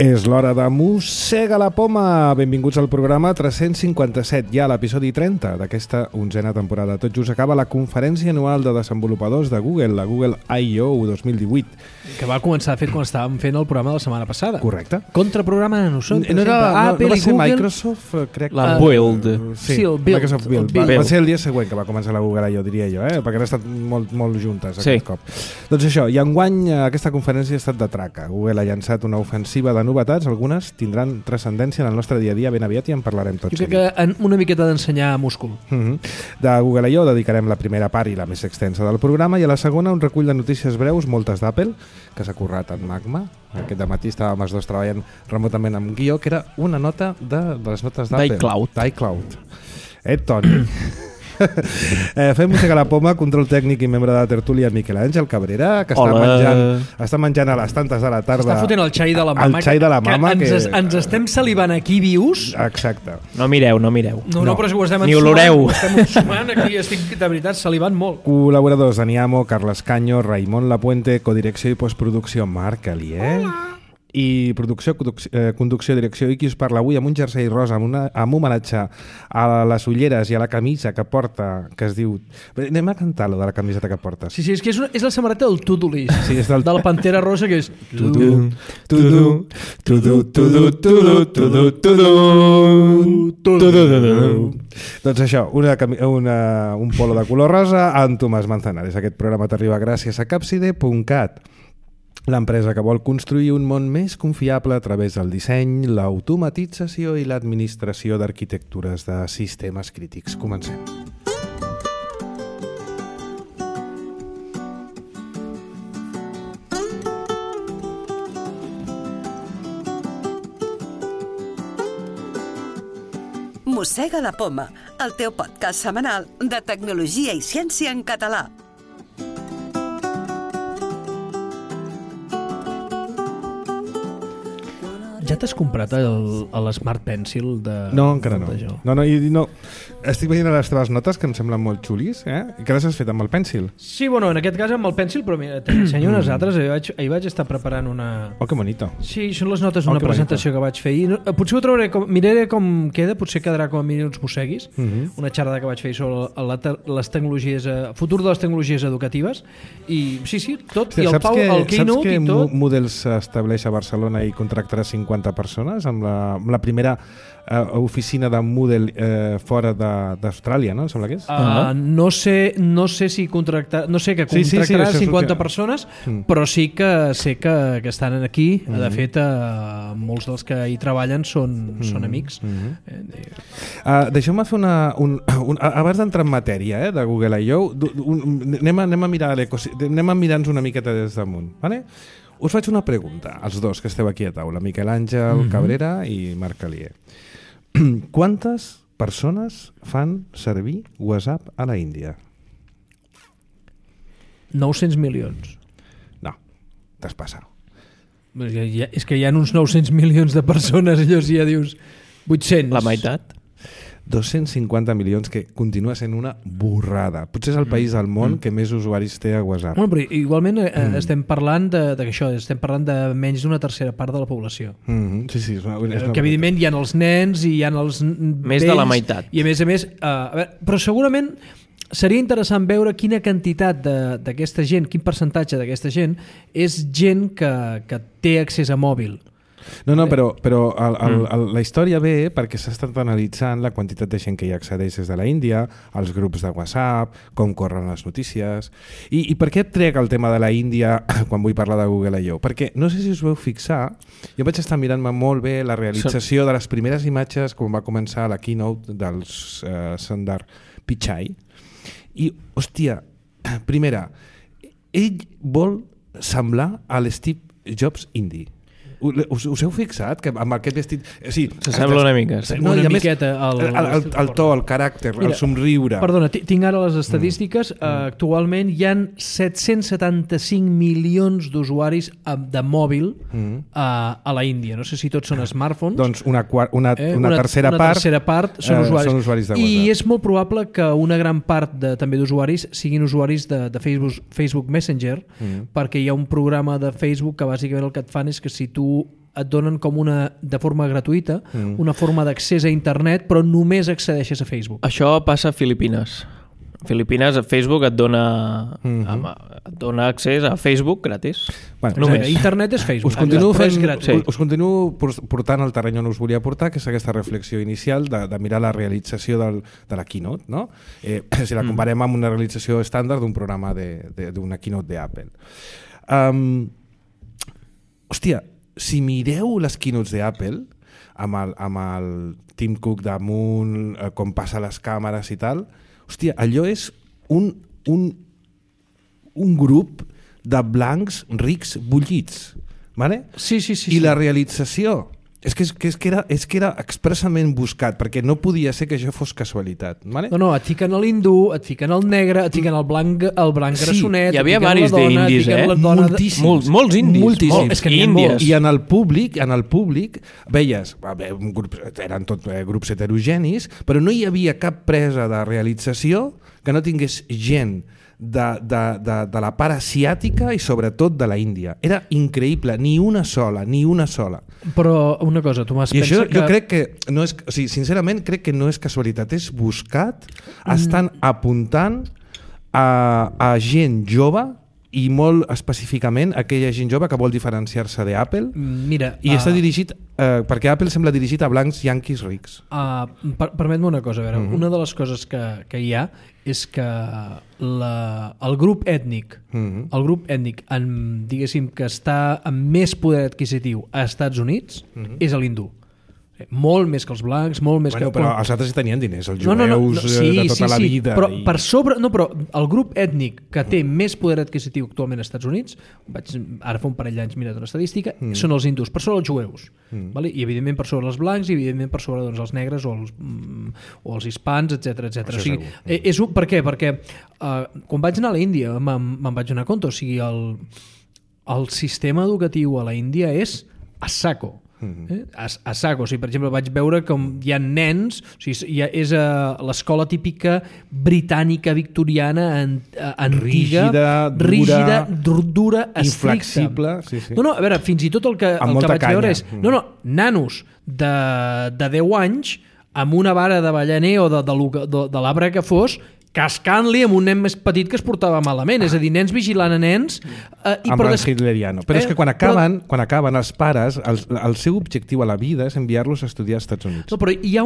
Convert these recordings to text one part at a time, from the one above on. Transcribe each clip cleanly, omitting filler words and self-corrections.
És l'hora de Mossega la Poma. Benvinguts al programa 357, ja l'episodi 30 d'aquesta 11a temporada. Tot just acaba la conferència anual de desenvolupadors de Google, la Google I.O. 2018. Que va començar a fer quan estàvem fent el programa de la setmana passada. Correcte. Contraprograma de nosaltres. No va ser Google. Microsoft, crec. La Build. Sí, el Build. Microsoft Build. Va ser el dia següent que va començar la Google I.O., diria jo, perquè han estat molt juntes aquest cop. Doncs això, i enguany aquesta conferència ha estat de traca. Google ha llançat una ofensiva de novetats, algunes tindran transcendència en el nostre dia a dia ben aviat i en parlarem tots. Jo crec que una miqueta d'ensenyar múscul. De Google I.O. dedicarem la primera part i la més extensa del programa, i a la segona un recull de notícies breus, moltes d'Apple, que s'ha currat en Magma. Aquest dematí estàvem els dos treballant remotament amb guió, que era una nota de les notes d'Apple. d'iCloud. Toni. Fem Mossega la Poma, control tècnic i membre de la tertúlia Miquel Àngel Cabrera, que està menjant a les tantes de la tarda. Està fotent el xai de la mama. El xai de la mama. Ens estem salivant aquí vius. Exacte. No mireu. No, però ho estem ni oloreu. Ho estem ensumant aquí, estic de veritat salivant molt. Col·laboradors: Daniamo, Carles Caño, Raimon Lapuente, codirecció i postproducció Marc Alier. I producció, conducció, direcció, i qui us parla avui amb un jersei rosa, amb homenatge a les ulleres i a la camisa que porta, que es diu... Anem a cantar lo de la camiseta que portes. Sí, és que és la samarreta del To-Do List, sí, és de la Pantera Rosa, que és... Doncs això, un polo de color rosa amb Tomàs Manzanares. Aquest programa t'arriba gràcies a Capside.cat, l'empresa que vol construir un món més confiable a través del disseny, l'automatització i l'administració d'arquitectures de sistemes crítics. Comencem. Mossega la Poma, el teu podcast setmanal de tecnologia i ciència en català. Ja t'has comprat l'Smart Pencil de... No, encara no. No. Estic veient les teves notes, que em semblen molt xulis, i que les has fet amb el pèncil. Sí, bueno, en aquest cas amb el pèncil, però mira, t'ensenyo unes altres. Ahir vaig estar preparant una... Oh, que bonito. Sí, són les notes d'una presentació que vaig fer ahir. Potser ho trobaré, miraré com queda, potser quedarà com a mínim uns mosseguis. Una xerrada que vaig fer sobre les tecnologies, futur de les tecnologies educatives. I sí, tot. I el Pau, el Keynote i tot. Saps que Moodle s'estableix a Barcelona i contractarà 50 persones amb la primera oficina de Moodle fora d'Austràlia, no? Em sembla que és? No sé si contractarà 50 persones, però sí que sé que estan aquí. De fet, molts dels que hi treballen són amics. Deixeu-me fer abans d'entrar en matèria de Google I.O., anem a mirar-nos una miqueta des damunt, vale? Us faig una pregunta, als dos que esteu aquí a taula, Miquel Àngel Cabrera i Marc Alier. Quantes persones fan servir WhatsApp a la Índia? 900 milions. No, t'has passat. És que hi ha uns 900 milions de persones, allò si ja dius 800. La meitat. 250 milions, que continua sent una borrada. Potser és el país del món que més usuaris té a WhatsApp. Bueno, però igualment estem parlant estem parlant de menys d'una tercera part de la població. Sí, que evidentment hi ha els nens i hi ha els més vells, de la meitat. I a més, però segurament seria interessant veure quina quantitat d'aquesta gent, quin percentatge d'aquesta gent és gent que té accés a mòbil. No, però la història ve perquè s'ha estat analitzant la quantitat de gent que hi accedeix des de la Índia, els grups de WhatsApp, com corren les notícies. I per què trec el tema de la Índia quan vull parlar de Google I.O.? Perquè no sé si us vau fixar, jo vaig estar mirant-me molt bé la realització de les primeres imatges quan va començar la keynote dels Sundar Pichai. I, hòstia, primera, ell vol semblar a l'Steve Jobs indi. Us heu fixat que amb aquest vestit... S'assembla una mica. Una miqueta. El to, el caràcter, el somriure... Perdona, tinc ara les estadístiques. Actualment hi ha 775 milions d'usuaris de mòbil a la Índia. No sé si tots són smartphones. Doncs una tercera part són usuaris de WhatsApp. I és molt probable que una gran part també d'usuaris siguin usuaris de Facebook Messenger, perquè hi ha un programa de Facebook que bàsicament el que et fan és que si tu et donen com de forma gratuïta una forma d'accés a internet, però només accedeixes a Facebook. Això passa a Filipines. A Filipines, Facebook et dona accés a Facebook gratis. Bueno, només. Internet és Facebook. Us continuo portant al terreny on us volia portar, que és aquesta reflexió inicial de mirar la realització de la keynote, no? Si la comparem amb una realització estàndard d'un programa d'una keynote d'Apple. Hòstia, si mireu les keynotes d'Apple amb el Tim Cook damunt, com passa les càmeres i tal, hòstia, allò és un grup de blancs rics bullits, vale? Sí. I la realització és que era expressament buscat, perquè no podia ser que això fos casualitat, vale? No, et fiquen l'hindú, et fiquen el negre, et fiquen el blanc grassonet, hi havia varis d'indis, molts indis, moltíssims. I en el públic veies, un grup, eren tot grups heterogenis, però no hi havia cap presa de realització que no tingués gent de la part asiàtica i sobretot de la Índia. Era increïble, ni una sola. Però una cosa, Tomàs, i això jo crec que no és, o sigui, sincerament crec que no és casualitat, és buscat, estan apuntant a gent jove i molt específicament aquella gent jove que vol diferenciar-se d'Apple. Mira, i està dirigit, perquè Apple sembla dirigit a blancs yanquis rics. Permet-me una cosa, a veure, una de les coses que hi ha és que el grup ètnic, diguéssim, que està amb més poder adquisitiu a Estats Units és l'hindú. Molt més que els blancs, molt més que... Però els altres tenien diners, els jueus de tota la vida. Però per sobre... No, però el grup ètnic que té més poder adquisitiu actualment als Estats Units, ara fa un parell d'anys mirat una estadística, són els hindús, per sobre els jueus. Vale? I evidentment per sobre els blancs i evidentment per sobre els negres o els hispans, etc. O sigui, per què? Perquè quan vaig anar a l'Índia me'n vaig donar compte, o sigui, el sistema educatiu a la Índia és a saco. A saco, o sigui, per exemple, vaig veure com hi ha nens, o sigui, és l'escola típica britànica victoriana antiga, rígida, dura, inflexible, No, a veure, fins i tot el que vaig veure és nanos de 10 anys amb una vara de ballaner o de l'arbre que fos, cascant-li amb un nen més petit que es portava malament, és a dir, nens vigilant a nens amb el hitleriano. Però és que quan acaben els pares, el seu objectiu a la vida és enviar-los a estudiar als Estats Units. No, però hi ha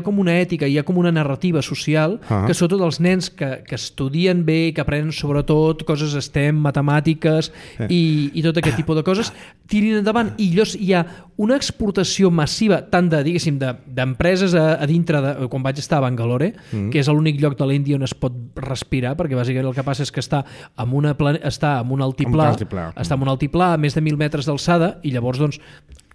com una ètica, hi ha com una narrativa social que sobretot els nens que estudien bé, que aprenen sobretot coses STEM, matemàtiques i tot aquest tipus de coses, tirin endavant, i llavors hi ha una exportació massiva tant d'empreses a dintre quan vaig estar a Bangalore, que és l'únic lloc de l'Índia on es pot respirar, perquè bàsicament el que passa és que està en un altiplà a més de 1.000 metres d'alçada, i llavors doncs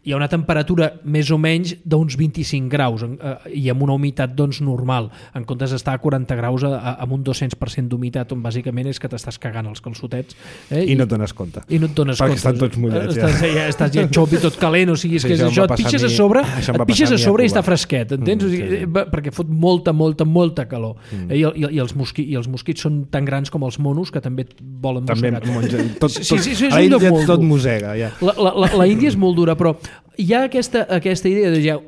hi ha una temperatura més o menys d'uns 25 graus i amb una humitat doncs normal, en comptes d'estar a 40 graus amb un 200% d'humitat, on bàsicament és que t'estàs cagant els calçotets. I no et dones compte. Perquè estan tots mullats. Estàs ja xop i tot calent, o sigui, és que això et pixes a sobre i està fresquet, entens? Perquè fot molta calor. I els mosquits són tan grans com els monos, que també volen mossegar. A l'Índia tot mossega. La Índia és molt dura, però hi ha aquesta idea de hi ha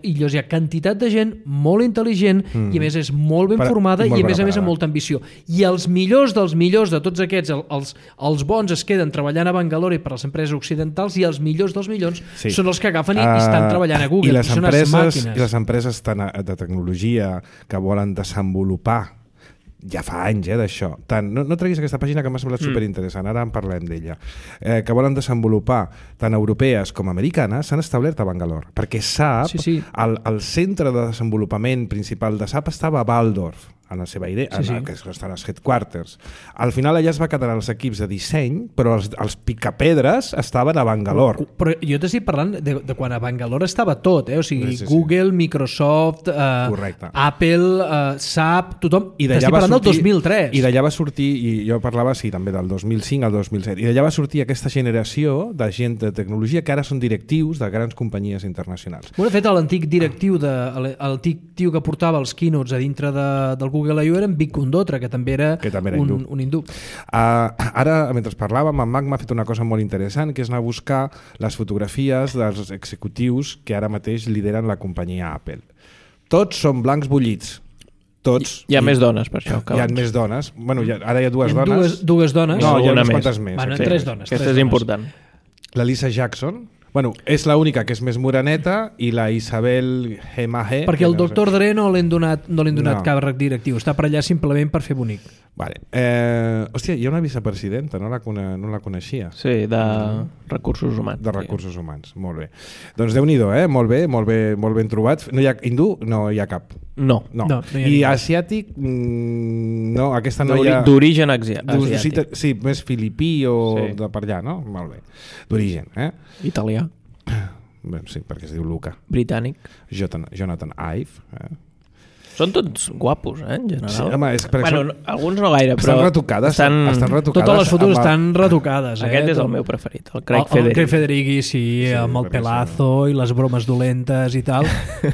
quantitat de gent molt intel·ligent i a més és molt ben formada i a més amb molta ambició. I els millors dels millors de tots aquests, els bons es queden treballant a Bangalore per les empreses occidentals, i els millors dels millors són els que agafen i estan treballant a Google. I les empreses de tecnologia que volen desenvolupar ja fa anys d'això. No treguis aquesta pàgina que m'ha semblat superinteressant, ara en parlem d'ella, que volen desenvolupar tant europees com americanes, s'han establert a Bangalore, perquè SAP, el centre de desenvolupament principal de SAP estava a Waldorf, en la seva idea, que estan als headquarters. Al final allà es va quedar els equips de disseny, però els picapedres estaven a Bangalore. Però jo t'estic parlant de quan a Bangalore estava tot, o sigui, Google, Microsoft, Apple, SAP, tothom. T'estic parlant del 2003. I d'allà va sortir, i jo parlava també del 2005 al 2007, i d'allà va sortir aquesta generació de gent de tecnologia que ara són directius de grans companyies internacionals. De fet, l'antic directiu, el tio que portava els keynotes a dintre del Google Google I.O. era en Vic Condotra, que també era un hindú. Ara, mentre parlàvem, en Mac m'ha fet una cosa molt interessant, que és anar a buscar les fotografies dels executius que ara mateix lideren la companyia Apple. Tots són blancs bullits. Tots. Hi ha més dones, per això. Hi ha més dones. Bueno, ara hi ha dues dones. Dues dones? No, hi ha unes quantes més. Bueno, tres dones. Aquesta és important. La Lisa Jackson, bueno, és l'única que és més moreneta, i la Isabel Gemahe. Perquè el doctor Dre no li han donat càrrec directiu, està per allà simplement per fer bonic. Vale. Hòstia, hi ha una vicepresidenta, no la coneixia. Sí, de recursos humans. De recursos humans, molt bé. Doncs Déu-n'hi-do, molt ben trobat. No hi ha hindú? No hi ha cap. No. I asiàtic? No, aquesta no hi ha... D'origen asiàtic. Sí, més filipí o de per allà, no? Molt bé. D'origen, Italià. Bé, sí, perquè es diu Luca. Britànic. Jonathan Ive. Són tots guapos, en general. Sí, home, és per bueno, alguns no gaire, però... Estan retocades. Totes les fotos estan retocades. Aquest és el meu preferit, el Craig Federighi. El Craig Federighi, sí, amb el pelazo i les bromes dolentes i tal.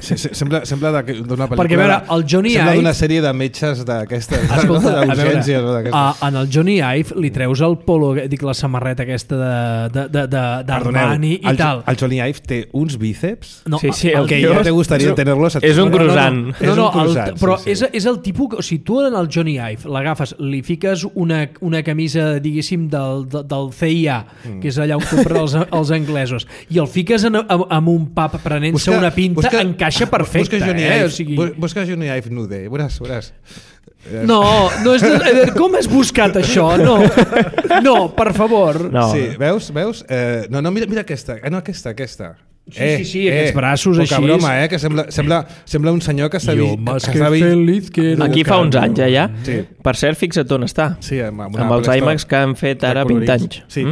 Sí, sembla d'una pel·lícula... Perquè, a veure, el Johnny Ive... Sembla d'una sèrie de metges d'aquestes, d'urgències. En el Johnny Ive li treus el polo, dic, la samarreta aquesta d'Armani i tal. El Johnny Ive té uns bíceps... Sí, el que ja te gustaría tenerlos. És un croissant. No, però és el tipus... O sigui, tu en el Johnny Ive l'agafes, li fiques una camisa, diguéssim, del CIA, que és allà on compren els anglesos, i el fiques en un pub prenent-se una pinta, encaixa perfecte. Busca Johnny Ive nude, veuràs. No és com has buscat això? No, per favor. Sí, veus? No, mira aquesta. No, aquesta. Sí, aquests braços així. Poca broma, que sembla un senyor que s'ha vist... Aquí fa uns anys, ja. Sí. Per cert, fixa't on està. Sí, amb els iMacs que han fet ara 20 anys. Sí.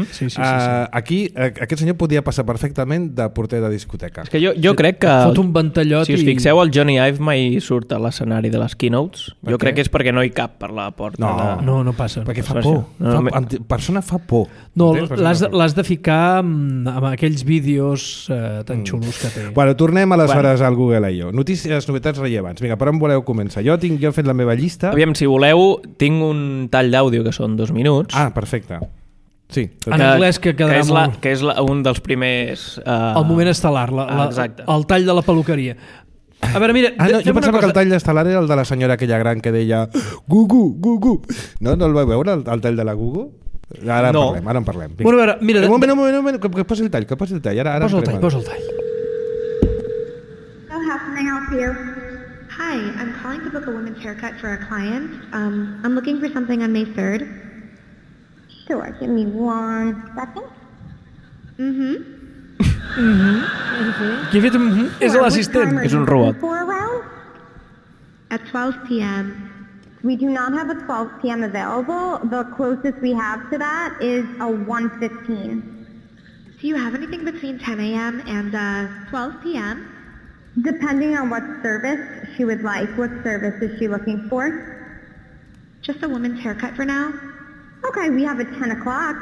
Aquí, aquest senyor podia passar perfectament de porter de discoteca. És que jo crec que... Fot un ventallot si us fixeu, el Johnny Ive mai surt a l'escenari de les keynotes. Jo crec que és perquè no hi cap per la porta. No passa. Perquè fa por. Persona fa por. No, l'has de ficar amb aquells vídeos tan xulos que té. Bueno, tornem aleshores al Google I.O. Notícies, novetats rellevants. Vinga, per on voleu començar? Jo he fet la meva llista. Aviam, si voleu, tinc un tall d'àudio que són 2 minuts. Ah, perfecte. Sí. En anglès que quedarà molt... Que és un dels primers... El moment estel·lar, el tall de la peluqueria. A veure, mira... jo pensava que el tall estel·lar era el de la senyora aquella gran que deia Gugu. No el vau veure, el tall de la Gugu? Ara en parlem. Bueno, a veure, mira... Un moment, que posi el tall. Posa el tall. How can I help you? Hi, I'm calling to book a women's haircut for a client. I'm looking for something on May 3rd. Sure, give me 1 second. Qui ha fet és l'assistent. És un robot. At 12 p.m. We do not have a 12 p.m. available. The closest we have to that is a 1:15. Do you have anything between 10 a.m. and 12 p.m.? Depending on what service she would like. What service is she looking for? Just a woman's haircut for now. Okay, we have a 10 o'clock.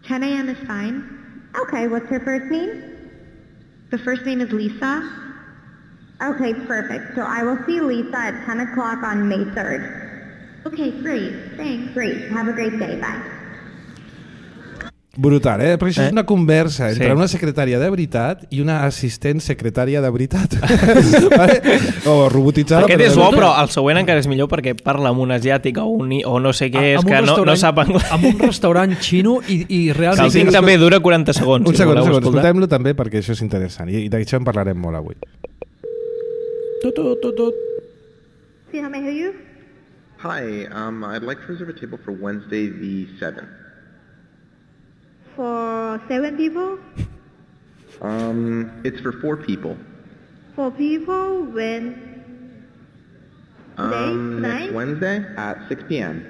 10 a.m. is fine. Okay, what's her first name? The first name is Lisa. Okay, perfect. So I will see Lisa at 10 o'clock on May 3rd. Okay, great. Thanks. Great. Have a great day. Bye. Brutal, Perquè això és una conversa entre una secretària de veritat i una assistent secretària de veritat. Vale? O robotitzada. Aquest és bo, però el següent encara és millor perquè parla amb un asiàtic o no sé què és, que no sap anglès. Amb un restaurant xino i realment... El 5 també dura 40 segons. Un segon. Escoltem-lo també perquè això és interessant i d'això en parlarem molt avui. See how may I help you? Hi, I'd like to reserve a table for Wednesday the 7th. For 7 people? It's for 4 people. 4 people? When? Next Wednesday at 6 p.m.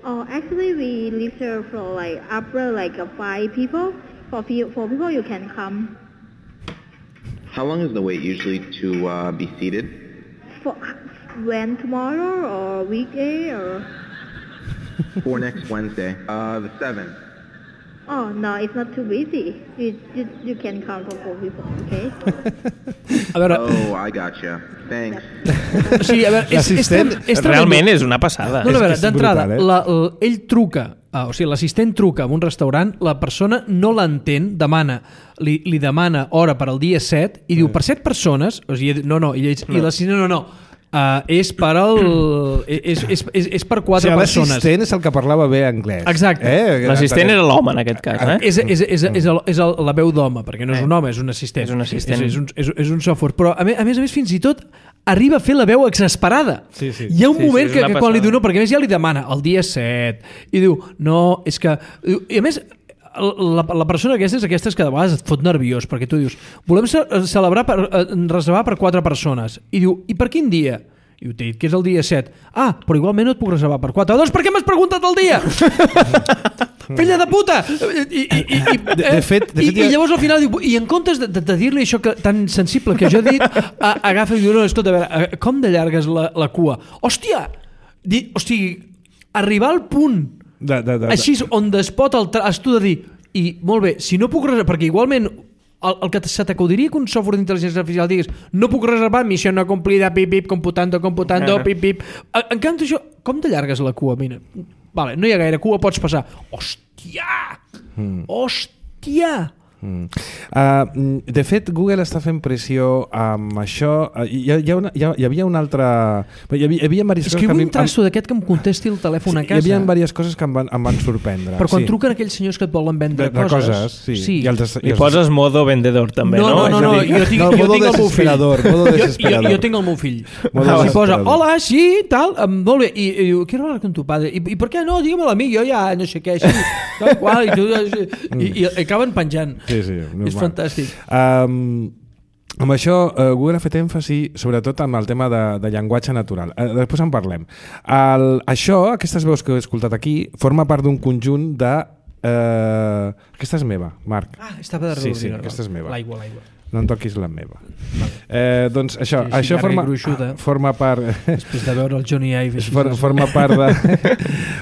Oh, actually we reserve for upper 5 people. For 4 people you can come. How long is the wait usually to be seated? For when, tomorrow or weekday or? For next Wednesday, the 7th. Oh, no, it's not too busy. You can call for 4 people, okay? A veure... Oh, I gotcha. Thanks. O sigui, a veure, és realment és una passada. No, a veure, d'entrada, brutal, ell truca, o sigui, l'assistent truca a un restaurant, la persona no l'entén, li demana hora per al dia 7 i diu, per 7 persones, o sigui, i l'assistent no. És per és per 4 persones. L'assistent és el que parlava bé anglès. Exacte. L'assistent era l'home en aquest cas. És la veu d'home, perquè no és un home, és un assistent. És un assistent. És un software. Però a més, fins i tot arriba a fer la veu exasperada. Sí. Hi ha un moment que quan li diu no, perquè a més ja li demana el dia 7 i diu, no, és que... I a més... La persona aquesta és aquestes que de vegades et fot nerviós perquè tu dius, volem reservar per 4 persones i diu, i per quin dia? I t'he dit que és el dia 7. Però igualment no et puc reservar per 4. Doncs per què m'has preguntat el dia? Filla de puta! I llavors al final diu, i en comptes de dir-li això tan sensible que jo he dit, agafa i diu, no, escolta, a veure, com de llarga és la cua? Hòstia! O sigui, arribar al punt així on es pot has tu de dir, i molt bé, si no puc reservar, perquè igualment el que se t'acudiria que un software d'intel·ligència artificial digués, no puc reservar, missió no complida, pip, computando, pip. En canvi, això, com de llarga és la cua? Mira, vale, no hi ha gaire cua, pots passar. Hòstia! De fet, Google està fent pressió amb això. Hi havia una altra... Escriu un traço d'aquest que em contesti el telèfon a casa. Hi havia diverses coses que em van sorprendre. Però quan truquen aquells senyors que et volen vendre coses... Sí. I poses modo vendedor també, no? No, jo tinc el meu fill. Jo tinc el meu fill. I posa, hola, sí, tal, molt bé. I diu, quiero hablar con tu padre. I per què no? Dígamelo a mi, jo ja no sé què, així. I acaben penjant. Sí, és fantàstic. Amb això, Google ha fet èmfasi sobretot amb el tema de llenguatge natural. Després en parlem. Aquestes veus que he escoltat aquí forma part d'un conjunt de... Aquesta és meva, Marc. Estava darrere. Sí, aquesta és meva. L'aigua. No en toquis la meva. Doncs això forma part... Després de veure el Johnny Ive.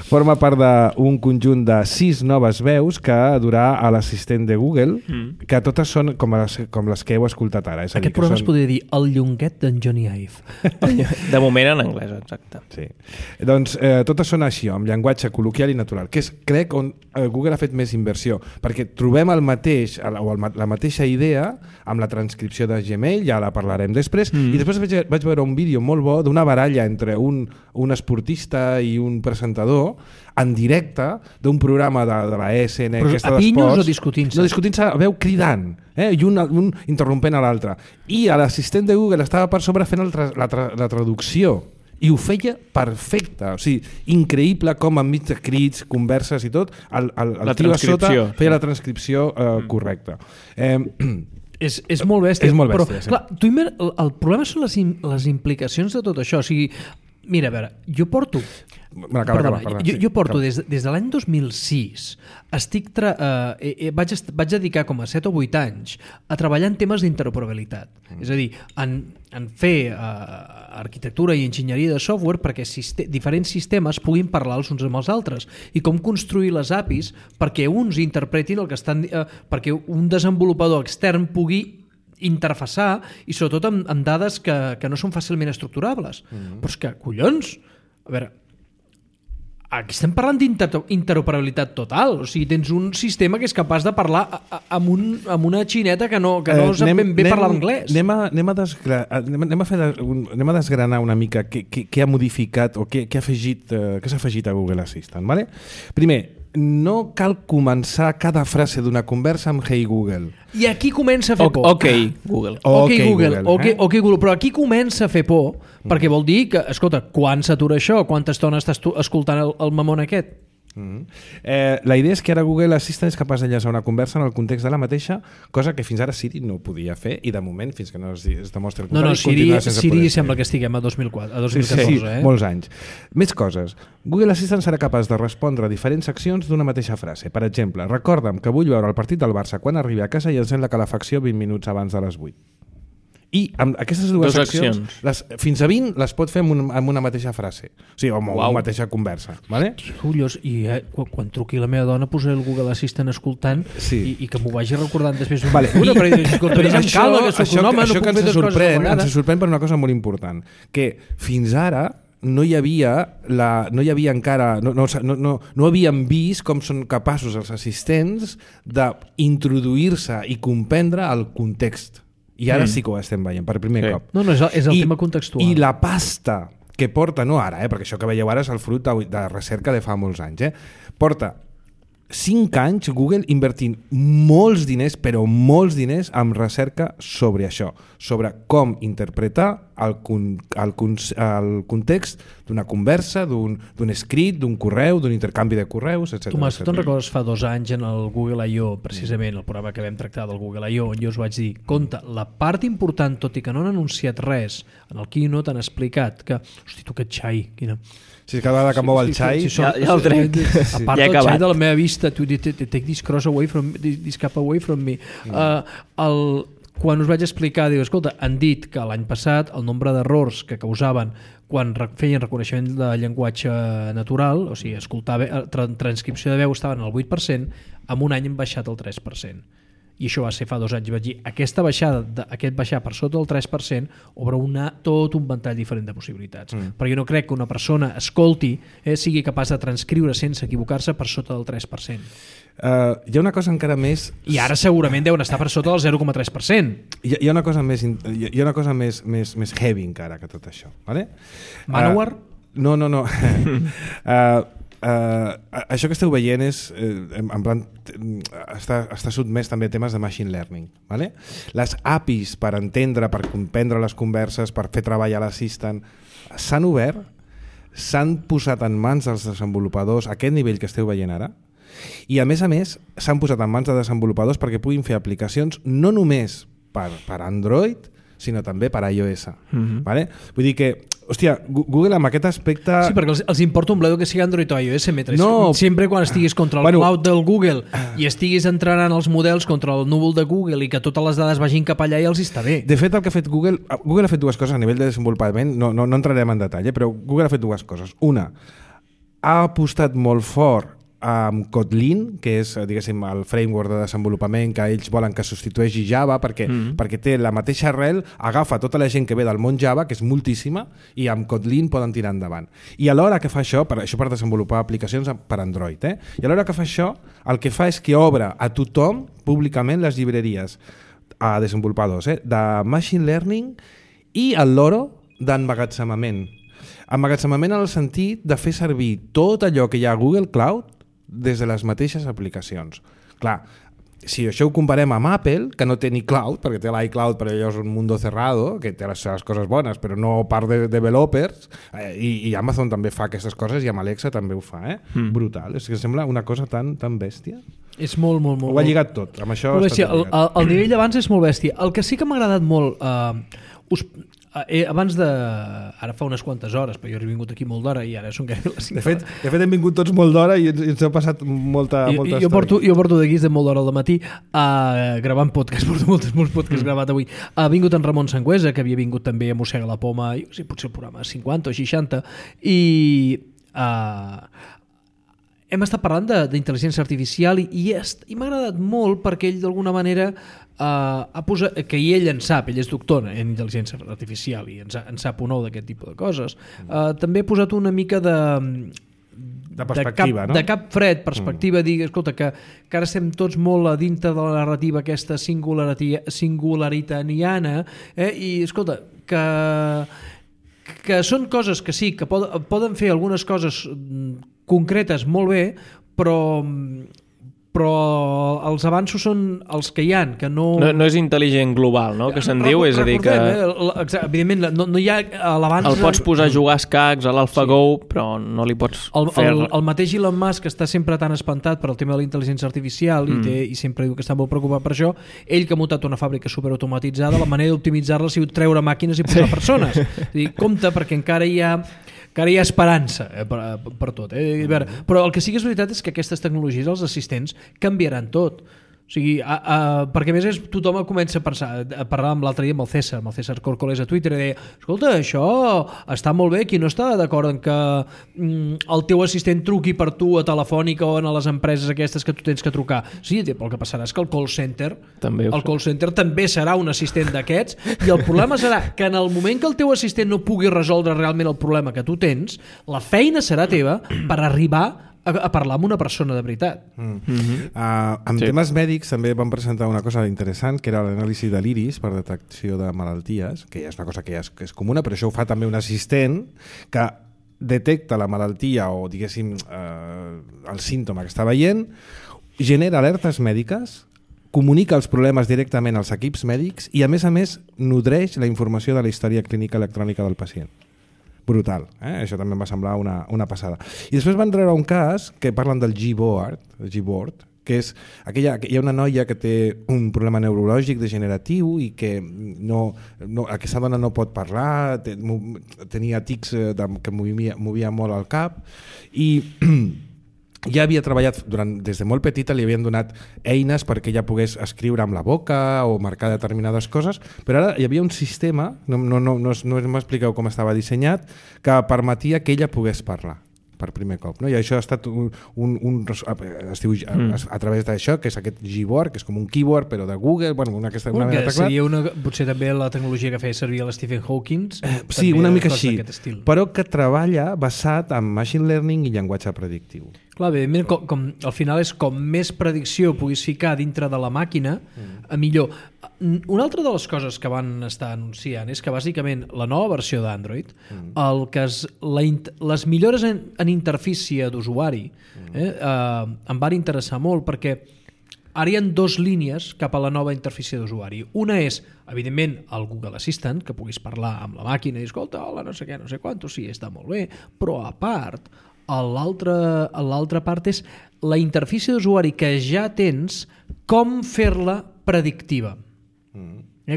Forma part d'un conjunt de 6 noves veus que durà a l'assistent de Google, que totes són com les que heu escoltat ara. Aquest programa es podria dir el llonguet d'en Johnny Ive. De moment en anglès, exacte. Sí. Doncs totes són així, amb llenguatge col·loquial i natural, que és, crec, on Google ha fet més inversió, perquè trobem el mateix, o la mateixa idea amb la transcripció de Gmail, ja la parlarem després, i després vaig veure un vídeo molt bo d'una baralla entre un esportista i un presentador en directe d'un programa de la ESN. Però a pinyos o discutint-se? No, discutint-se, veu cridant, i un interrompent a l'altre. I l'assistent de Google estava per sobre fent la traducció. I ho feia perfecte, o sigui, increïble com enmig de crits, converses i tot, el tio a sota feia la transcripció correcta. És molt bèstia. És molt bèstia, però, clar, el problema són les implicacions de tot això. O sigui, mira, a veure, jo porto... Jo porto des de l'any 2006 vaig dedicar com a 7 o 8 anys a treballar en temes d'interoperabilitat. És a dir, en fer arquitectura i enginyeria de software perquè diferents sistemes puguin parlar els uns amb els altres i com construir les APIs perquè uns interpretin el que estan... perquè un desenvolupador extern pugui interfaçar i sobretot amb dades que no són fàcilment estructurables. Però és que, collons, a veure, aquí estem parlant d'interoperabilitat total, o sigui, tens un sistema que és capaç de parlar amb una xineta que no sap ben bé parlar anglès. Anem a desgranar una mica què ha modificat o què s'ha afegit a Google Assistant. Vale? Primer, no cal començar cada frase d'una conversa amb Hey Google. I aquí comença a fer por. Ok, Google. Ok, Google. Però aquí comença a fer por perquè vol dir que, escolta, quan s'atura això? Quanta estona estàs escoltant el mamón aquest? La idea és que ara Google Assistant és capaç d'enllaçar una conversa en el context de la mateixa, cosa que fins ara Siri no podia fer i de moment, fins que no es demostri el contrari, continua sense poder fer. Siri sembla que estiguem a 2014. Sí, molts anys. Més coses. Google Assistant serà capaç de respondre a diferents accions d'una mateixa frase. Per exemple, recorda'm que vull veure el partit del Barça quan arribi a casa i encén la calefacció 20 minuts abans de les 8. I amb aquestes dues accions, fins a 20 les pot fer amb una mateixa frase, o sigui, amb una mateixa conversa, vale? Collons, i quan truqui la meva dona posaré el Google Assistant escoltant i que m'ho vagi recordant després d'una estona, però això que ens sorprèn per una cosa molt important, que fins ara no hi havia encara, no havíem vist com són capaços els assistents d'introduir-se i comprendre el context. I ara sí que ho estem veient, per primer cop. No, és el tema contextual. I la pasta que porta, no ara, perquè això que veieu ara és el fruit de recerca de fa molts anys, porta 5 anys Google invertint molts diners, però molts diners en recerca sobre això, sobre com interpretar el context d'una conversa, d'un escrit, d'un correu, d'un intercanvi de correus, etc. Tomàs, tu te'n recordes fa 2 anys en el Google I.O., precisament el programa que vam tractar del Google I.O., on jo us vaig dir, compte, la part important, tot i que no han anunciat res, en el keynote han explicat que, hosti, tu aquest xai, quina... Si cada vegada que mou el xai... Ja el trec. A part del xai de la meva vista, take this cross away from me, this cap away from me. Quan us vaig explicar, diu, escolta, han dit que l'any passat el nombre d'errors que causaven quan feien reconeixement de llenguatge natural, o sigui, transcripció de veu estaven al 8%, en un any han baixat el 3%. I això va ser fa 2 anys. Vaig dir, aquest baixar per sota del 3% obre tot un ventall diferent de possibilitats. Però jo no crec que una persona escolti, sigui capaç de transcriure sense equivocar-se per sota del 3%. Hi ha una cosa encara més... I ara segurament deuen estar per sota del 0,3%. Hi ha una cosa més heavy encara que tot això. Vale? Manowar? No. Això que esteu veient és en plan, està sotmès també a temes de machine learning, vale? Les APIs per entendre, per comprendre les converses, per fer treball a l'assistant s'han obert, s'han posat en mans dels desenvolupadors a aquest nivell que esteu veient ara, i a més s'han posat en mans de desenvolupadors perquè puguin fer aplicacions no només per Android sinó també per iOS. Vale? Vull dir que, hòstia, Google amb aquest aspecte... Sí, perquè els importa un bledo que sigui Android o iOS, sempre quan estiguis contra el cloud del Google i estiguis entrenant els models contra el núvol de Google i que totes les dades vagin cap allà i els està bé. De fet, el que ha fet Google ha fet dues coses a nivell de desenvolupament, no entrarem en detall, però Google ha fet dues coses. Una, ha apostat molt fort amb Kotlin, que és, diguéssim, el framework de desenvolupament que ells volen que substitueixi Java perquè té la mateixa arrel, agafa tota la gent que ve del món Java, que és moltíssima, i amb Kotlin poden tirar endavant. I alhora que fa això per desenvolupar aplicacions per Android, i alhora que fa això, el que fa és que obre a tothom públicament les llibreries a desenvolupadors de Machine Learning i el loro d'emmagatzemament. Emmagatzemament en el sentit de fer servir tot allò que hi ha a Google Cloud des de les mateixes aplicacions. Clar, si això ho comparem amb Apple, que no té ni cloud, perquè té l'iCloud, però allò és un mundo cerrado, que té les seves coses bones, però no part de developers, i Amazon també fa aquestes coses, i amb Alexa també ho fa, brutal. És que sembla una cosa tan bèstia. És molt... Ho ha lligat tot, amb això... El nivell d'abans és molt bèstia. El que sí que m'ha agradat molt... abans de... Ara fa unes quantes hores, però jo he vingut aquí molt d'hora i ara són gairebé les 5 hores. De fet hem vingut tots molt d'hora i ens ha passat molta estona. Jo porto d'aquí de molt d'hora al matí gravant podcast, porto molts podcasts gravat avui. Ha vingut en Ramon Sangüesa, que havia vingut també a Mossega la Poma, potser el programa 50 o 60, i hem estat parlant d'intel·ligència artificial i m'ha agradat molt perquè ell d'alguna manera ha posat, que ell en sap, ell és doctor en intel·ligència artificial i en sap un nou d'aquest tipus de coses, també ha posat una mica de perspectiva, de cap fred, perspectiva, dir, escolta, que ara estem tots molt a dintre de la narrativa aquesta singularitariana, i escolta, que són coses que sí, que poden fer algunes coses concretes molt bé, però els avanços són els que hi ha, que no... No és intel·ligent global, no?, que se'n diu, és a dir que... Evidentment, no hi ha l'avanç... El pots posar a jugar escacs a l'AlphaGo, però no li pots fer... El mateix Elon Musk està sempre tan espantat per el tema de la intel·ligència artificial i sempre diu que està molt preocupat per això. Ell que ha muntat una fàbrica superautomatitzada, la manera d'optimitzar-la ha sigut treure màquines i posar persones. És dir, compte, perquè encara hi ha esperança per tot. Però el que sí que és veritat és que aquestes tecnologies, els assistents, canviaran tot. O sigui, perquè a més tothom comença a parlar amb l'altre dia amb el César Corcoles a Twitter i deia, escolta, això està molt bé, qui no està d'acord en que el teu assistent truqui per tu a Telefònica o a les empreses aquestes que tu tens que trucar. Sí, però el que passarà és que el call center també serà un assistent d'aquests i el problema serà que en el moment que el teu assistent no pugui resoldre realment el problema que tu tens, la feina serà teva per arribar a parlar amb una persona de veritat. En temes mèdics també van presentar una cosa interessant, que era l'anàlisi de l'iris per detecció de malalties, que ja és una cosa que és comuna, però això ho fa també un assistent que detecta la malaltia o, diguéssim, el símptoma que està veient, genera alertes mèdiques, comunica els problemes directament als equips mèdics i, a més, nodreix la informació de la història clínica electrònica del pacient. Brutal, això també em va semblar una passada. I després van treure un cas que parlen del Gboard, que és hi ha una noia que té un problema neurològic degeneratiu i que aquesta dona no pot parlar, tenia tics que movia molt el cap i ja havia treballat des de molt petita, li havien donat eines perquè ella pogués escriure amb la boca o marcar determinades coses, però ara hi havia un sistema, no m'expliqueu com estava dissenyat, que permetia que ella pogués parlar per primer cop, no? I això ha estat es diu a través d'això, que és aquest Gboard, que és com un keyboard però de Google, potser també la tecnologia que feia servir l'Stephen Hawking, sí, una mica així, però que treballa basat en machine learning i llenguatge predictiu. Clar, com al final és com més predicció puguis ficar dintre de la màquina, millor. Una altra de les coses que van estar anunciant és que bàsicament la nova versió d'Android, les millores en interfície d'usuari em van interessar molt perquè ara hi ha dues línies cap a la nova interfície d'usuari. Una és, evidentment, el Google Assistant, que puguis parlar amb la màquina i escolta, hola, no sé què, no sé quant, sí, està molt bé, però a part, l'altra part és la interfície d'usuari que ja tens, com fer-la predictiva.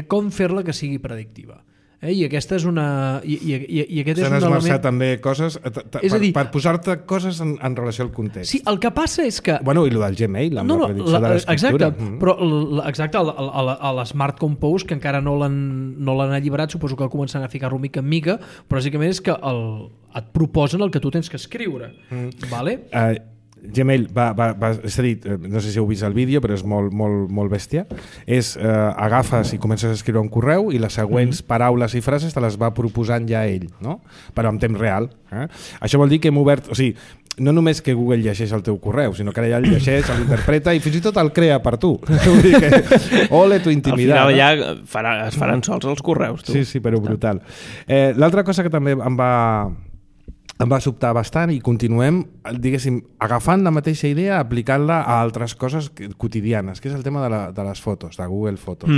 Com fer-la que sigui predictiva. I aquesta és una... S'han esmerçat també coses per posar-te coses en relació al context. Sí, el que passa és que... Bueno, i el del Gmail, amb la predicció de l'escriptura. Exacte, però a l'Smart Compose, que encara no l'han alliberat, suposo que començaran a ficar-lo mica en mica, però bàsicament és que et proposen el que tu tens que escriure. Vale? Gmail és a dir, no sé si heu vist el vídeo, però és molt bèstia. Agafes i comences a escriure un correu i les següents paraules i frases te les va proposant ja ell, no? Però en temps real. Això vol dir que hem obert... O sigui, no només que Google llegeix el teu correu, sinó que ara ja el llegeix, l'interpreta i fins i tot el crea per tu. Vull dir que... Ole, tu intimidat. Al final ja es faran sols els correus, tu. Sí, però brutal. L'altra cosa que també em va sobtar bastant i continuem, diguéssim, agafant la mateixa idea, aplicant-la a altres coses quotidianes, que és el tema de les fotos, de Google Fotos.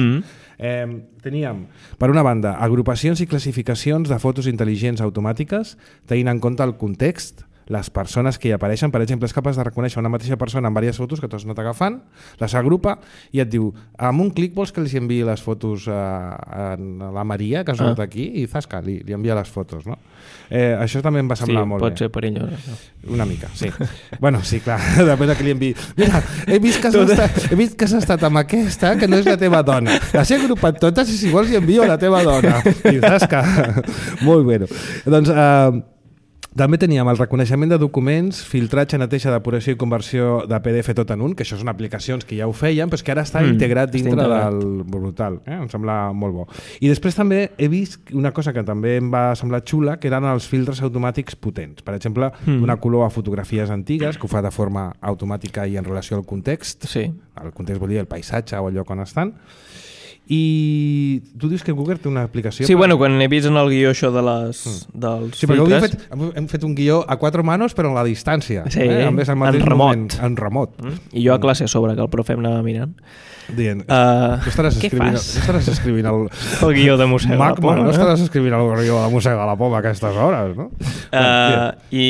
Teníem, per una banda, agrupacions i classificacions de fotos intel·ligents automàtiques, tenint en compte el context, les persones que hi apareixen. Per exemple, és capaç de reconèixer una mateixa persona en diverses fotos que tu has anat agafant, les agrupa i et diu, amb un clic vols que els enviï les fotos a la Maria, que ha sortit aquí, i zasca, li envia les fotos, no? Això també em va semblar molt bé. Sí, pot ser perillós, això. Una mica, sí. Bueno, sí, clar, depèn de qui li enviï. Mira, he vist que has estat amb aquesta, que no és la teva dona. Les he agrupat totes i si vols hi envio a la teva dona. I zasca. Molt bé. Doncs... també teníem el reconeixement de documents, filtratge, neteja, depuració i conversió de PDF tot en un, que això són aplicacions que ja ho feien, però que ara està integrat dintre del... Brutal, em sembla molt bo. I després també he vist una cosa que també em va semblar xula, que eren els filtres automàtics potents. Per exemple, donar color a fotografies antigues, que ho fa de forma automàtica i en relació al context. Sí. El context vol dir el paisatge o el lloc on estan. I tu dius que Google té una aplicació... Sí, bueno, quan he vist en el guió això dels sí, filtres... hem fet un guió a 4 manos però en la distància. Sí, en remot. En remot. I jo a classe a sobre, que el profe em anava mirant. Dient, no estaràs escrivint el guió de Mossega la Poma. No estaràs escrivint el guió de Mossega la Poma a aquestes hores, no? I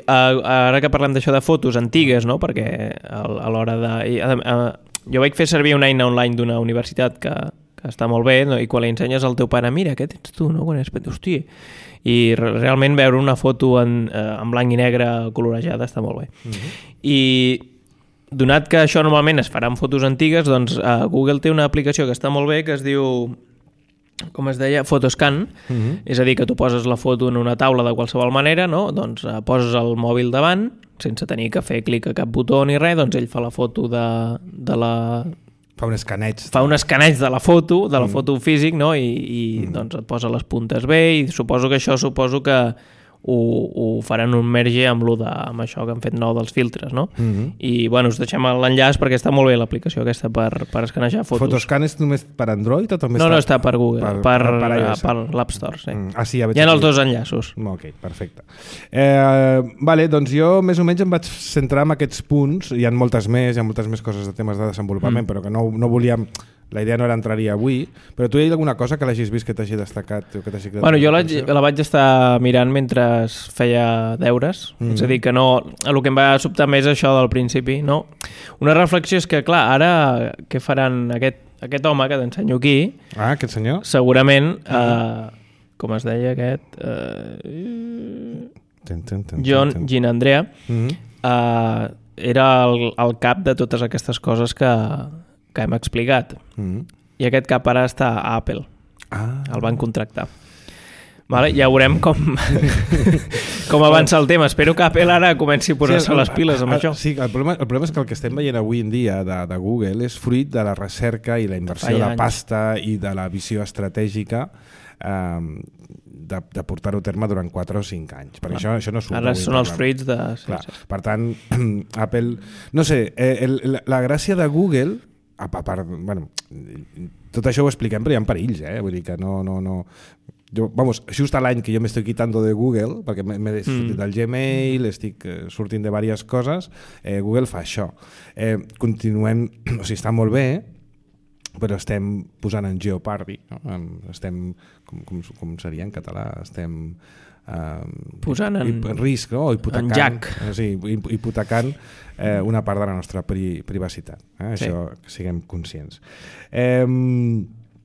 ara que parlem d'això de fotos antigues, no? Perquè a l'hora de... Jo vaig fer servir una eina online d'una universitat que està molt bé, no? I quan li ensenyes al teu pare, mira, què tens tu, no? Quan és petit, hòstia. I realment veure una foto en blanc i negre colorejada està molt bé. I donat que això normalment es farà amb fotos antigues, doncs Google té una aplicació que està molt bé que es diu, com es deia, Photoscan, és a dir, que tu poses la foto en una taula de qualsevol manera, no? Doncs poses el mòbil davant, sense tenir que fer clic a cap botó ni res, doncs ell fa la foto de la... Fa un escaneig. Fa un escaneig de la foto físic, no? I doncs et posa les puntes bé i suposo que ho faran un merge amb això que han fet nou dels filtres, no? I, bueno, us deixem l'enllaç perquè està molt bé l'aplicació aquesta per escanejar fotos. Photoscan és només per Android o també No, està per Google, per l'App Store, sí. Sí, hi ha els dos enllaços. Ok, perfecte. Vale, doncs jo més o menys em vaig centrar en aquests punts, hi ha moltes més coses de temes de desenvolupament, però que no volíem... La idea no era entrar-hi avui, però tu hi ha alguna cosa que l'hagis vist que t'hagi destacat? O que t'hagi creat jo la vaig estar mirant mentre feia deures, és a dir, que no, el que em va sobtar més això del principi, no? Una reflexió és que, clar, ara què faran aquest home que t'ensenyo aquí? Aquest senyor? Segurament, com es deia aquest? John Ginandrea, era el cap de totes aquestes coses que hem explicat. I aquest cap ara està a Apple. El van contractar. Vale, ja veurem com avança el tema. Espero que Apple ara comenci a posar-se les piles amb això. Sí, el problema és que el que estem veient avui en dia de Google és fruit de la recerca i la inversió de pasta i de la visió estratègica de portar-ho a terme durant 4 o 5 anys. Perquè això no surt. Ara són els fruits de... Per tant, Apple... No sé, la gràcia de Google... A part, bueno, tot això ho expliquem, però hi ha perills, vull dir que no... Jo, just l'any que jo m'estic quitando de Google, perquè m'he sortit del Gmail, estic sortint de diverses coses, Google fa això. Continuem, o sigui, està molt bé, però estem posant en jeopardy, no? Estem, com seria en català? Estem... posant en risc, no? En jack. Sí, hipotecant una part de la nostra privacitat. Això que siguem conscients.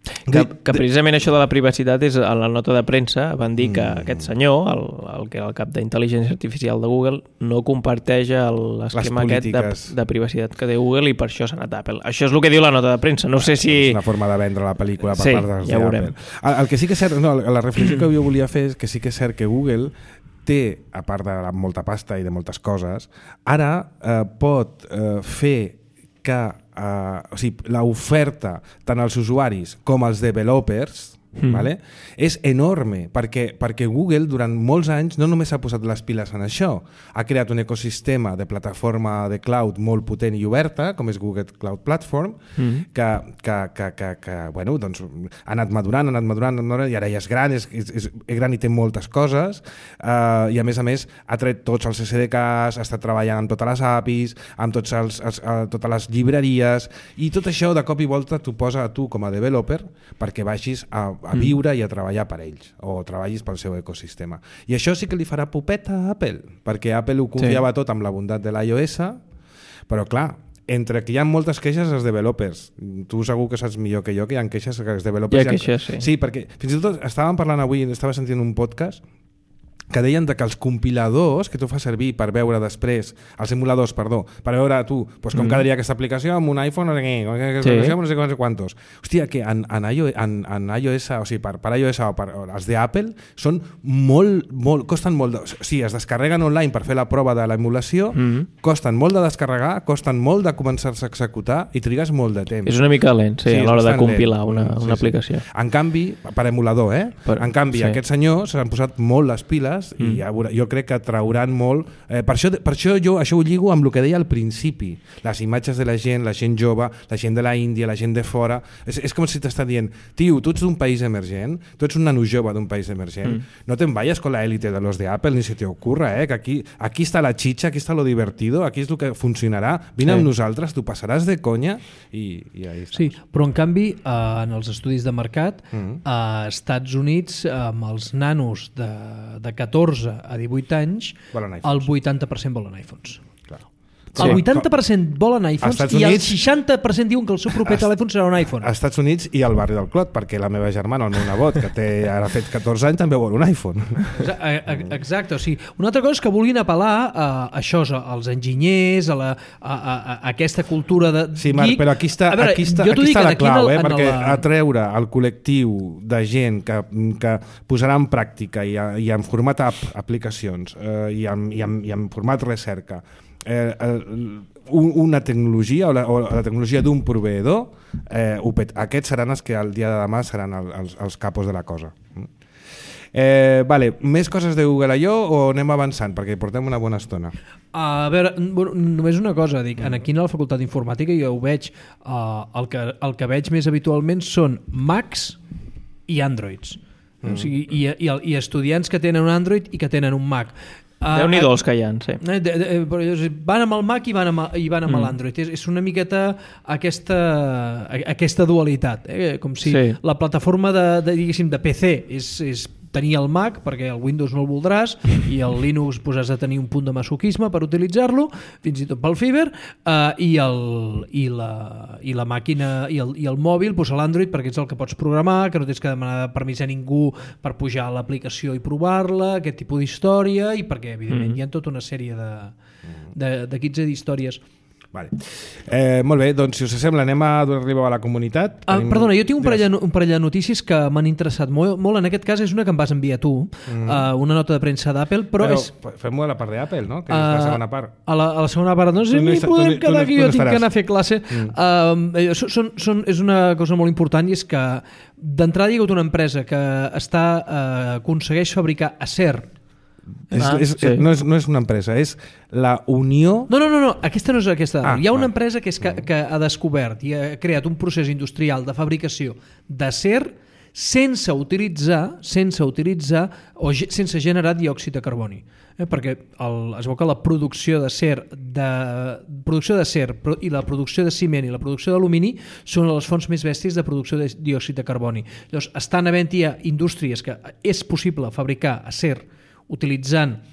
Que precisament això de la privacitat és a la nota de premsa van dir que aquest senyor, el que era el cap d'intel·ligència artificial de Google, no comparteix l'esquema aquest de privacitat que té Google i per això s'ha anat a Apple. Això és el que diu la nota de premsa. No sé si... És una forma de vendre la pel·lícula per part dels d'Apple. El que sí que és cert, la reflexió que jo volia fer és que sí que és cert que Google té, a part de molta pasta i de moltes coses, ara pot fer que o sigui, l'oferta tant als usuaris com als developers vale? És enorme perquè Google durant molts anys no només ha posat les piles en això, ha creat un ecosistema de plataforma de cloud molt potent i oberta, com és Google Cloud Platform, que bueno, doncs, ha anat madurant i ara ja és gran i té moltes coses i a més ha tret tots els SDKs, ha estat treballant amb totes les APIs, amb totes les llibreries i tot això de cop i volta t'ho posa a tu com a developer perquè vagis a viure i a treballar per ells o treballis pel seu ecosistema. I això sí que li farà pupeta a Apple, perquè Apple ho confiava tot amb la bondat de l'iOS, però clar, entre que hi ha moltes queixes als developers, tu segur que saps millor que jo que hi ha queixes als developers. Hi ha queixes, sí. Sí, perquè fins i tot estàvem parlant avui, estava sentint un podcast que deien que els compiladors que tu fas servir per veure després, els emuladors, perdó, per veure tu, doncs com quedaria aquesta aplicació amb un iPhone o no sé quantos. Hòstia, que en iOS, o sigui, per iOS o per els d'Apple, són molt, costen molt, o sigui, es descarreguen online per fer la prova de l'emulació, costen molt de descarregar, costen molt de començar-se a executar i trigues molt de temps. És una mica lent, sí, a l'hora de compilar una aplicació. En canvi, per emulador, en canvi, aquests senyors s'han posat molt les piles i jo crec que trauran molt per això jo això ho lligo amb el que deia al principi, les imatges de la gent jove, la gent de la Índia, la gent de fora, és com si t'està dient tio, tu ets d'un país emergent, tu ets un nano jove d'un país emergent, no te'n vayas con la élite de los de Apple, ni se te ocurra que aquí està la chicha, aquí està lo divertido, aquí és el que funcionarà, vine amb nosaltres, tu passaràs de conya i ahí està. Sí, però en canvi en els estudis de mercat a Estats Units amb els nanos de 14 a 18 anys el 80% volen iPhones. Claro. El 80% volen iPhones i el 60% diuen que el seu proper telèfon serà un iPhone. Als Estats Units i al barri del Clot, perquè la meva germana, el meu nebot, que té ara fet 14 anys, també vol un iPhone. Exacte, o sigui, una altra cosa és que vulguin apel·lar a això, als enginyers, a aquesta cultura de geek. Sí, Marc, però aquí està la clau, perquè atreure el col·lectiu de gent que posarà en pràctica i en format aplicacions i en format recerca una tecnologia o la tecnologia d'un proveïdor, aquests seran els que el dia de demà seran els capos de la cosa. Més coses de Google I.O. o anem avançant perquè portem una bona estona? A veure, només una cosa, dic, aquí a la facultat d'informàtica jo ho veig, el que veig més habitualment són Macs i Androids, o sigui, i estudiants que tenen un Android i que tenen un Mac. Déu-n'hi-do els que hi ha, sí. Van amb el Mac i van amb l'Android. És una miqueta aquesta dualitat, com si la plataforma de PC és tenir el Mac, perquè el Windows no el voldràs, i el Linux has de tenir un punt de masoquisme per utilitzar-lo, fins i tot pel Fiber, i la màquina i el mòbil, l'Android, perquè ets el que pots programar, que no tens que demanar permís a ningú per pujar a l'aplicació i provar-la, aquest tipus d'història, i perquè, evidentment, hi ha tota una sèrie de kits d'històries. Vale. Molt bé, doncs si us sembla anem a donar-li a la comunitat. Perdona, jo tinc un parell de notícies que m'han interessat molt. En aquest cas és una que em vas enviar tu, una nota de premsa d'Apple, però fem-ho a la part d'Apple, no? Que és la segona part. A la segona part, no sé si podem quedar aquí, jo tinc que anar a fer classe. És una cosa molt important, i és que d'entrada hi ha hagut una empresa que aconsegueix fabricar acer. No és una empresa, és la Unió... No, aquesta no és aquesta. Hi ha una empresa que ha descobert i ha creat un procés industrial de fabricació d'acer sense utilitzar o sense generar diòxid de carboni. Perquè es veu que la producció d'acer i la producció de ciment i la producció d'alumini són les fonts més bèsties de producció de diòxid de carboni. Llavors, estan havent-hi indústries que és possible fabricar acer utilitzant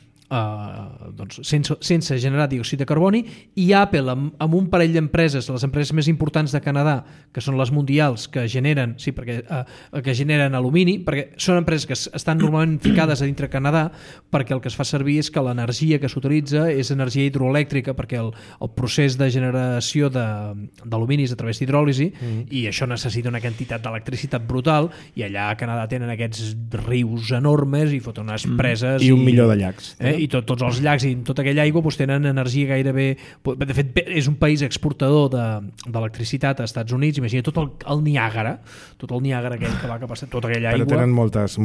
sense generar diòxid de carboni, i Apple amb un parell d'empreses, les empreses més importants de Canadà, que són les mundials, que generen alumini, perquè són empreses que estan normalment ficades a dintre Canadà, perquè el que es fa servir és que l'energia que s'utilitza és energia hidroelèctrica, perquè el procés de generació d'alumini és a través d'hidròlisi, i això necessita una quantitat d'electricitat brutal, i allà a Canadà tenen aquests rius enormes i foten unes preses i 1 milió de llacs, i tots els llacs i tota aquella aigua tenen energia gairebé... De fet, és un país exportador d'electricitat als Estats Units. Imagina tot el Niàgara, aquell que va cap a tota aquella aigua. Però tenen moltes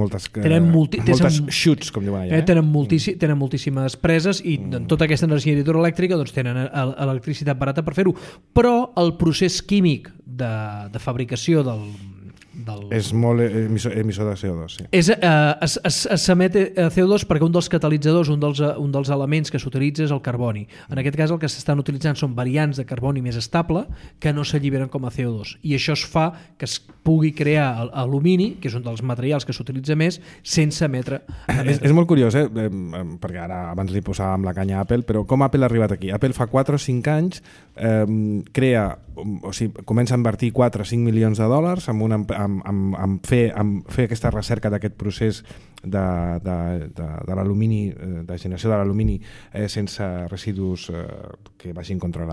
xutes, com diuen allà. Tenen moltíssimes preses, i tota aquesta energia hidroelèctrica tenen electricitat barata per fer-ho. Però el procés químic de fabricació és molt emissor de CO2, sí. S'emet CO2 perquè un dels catalitzadors, un dels elements que s'utilitza és el carboni. En aquest cas el que s'estan utilitzant són variants de carboni més estable que no s'alliberen com a CO2, i això es fa que es pugui crear alumini, que és un dels materials que s'utilitza més, sense emetre. És molt curiós, perquè ara abans li posàvem la canya a Apple, però com Apple ha arribat aquí? Apple fa 4 o 5 anys comença a invertir 4 o 5 milions de dòlars en fer aquesta recerca d'aquest procés de l'alumini, de generació de l'alumini sense residus que vagin contra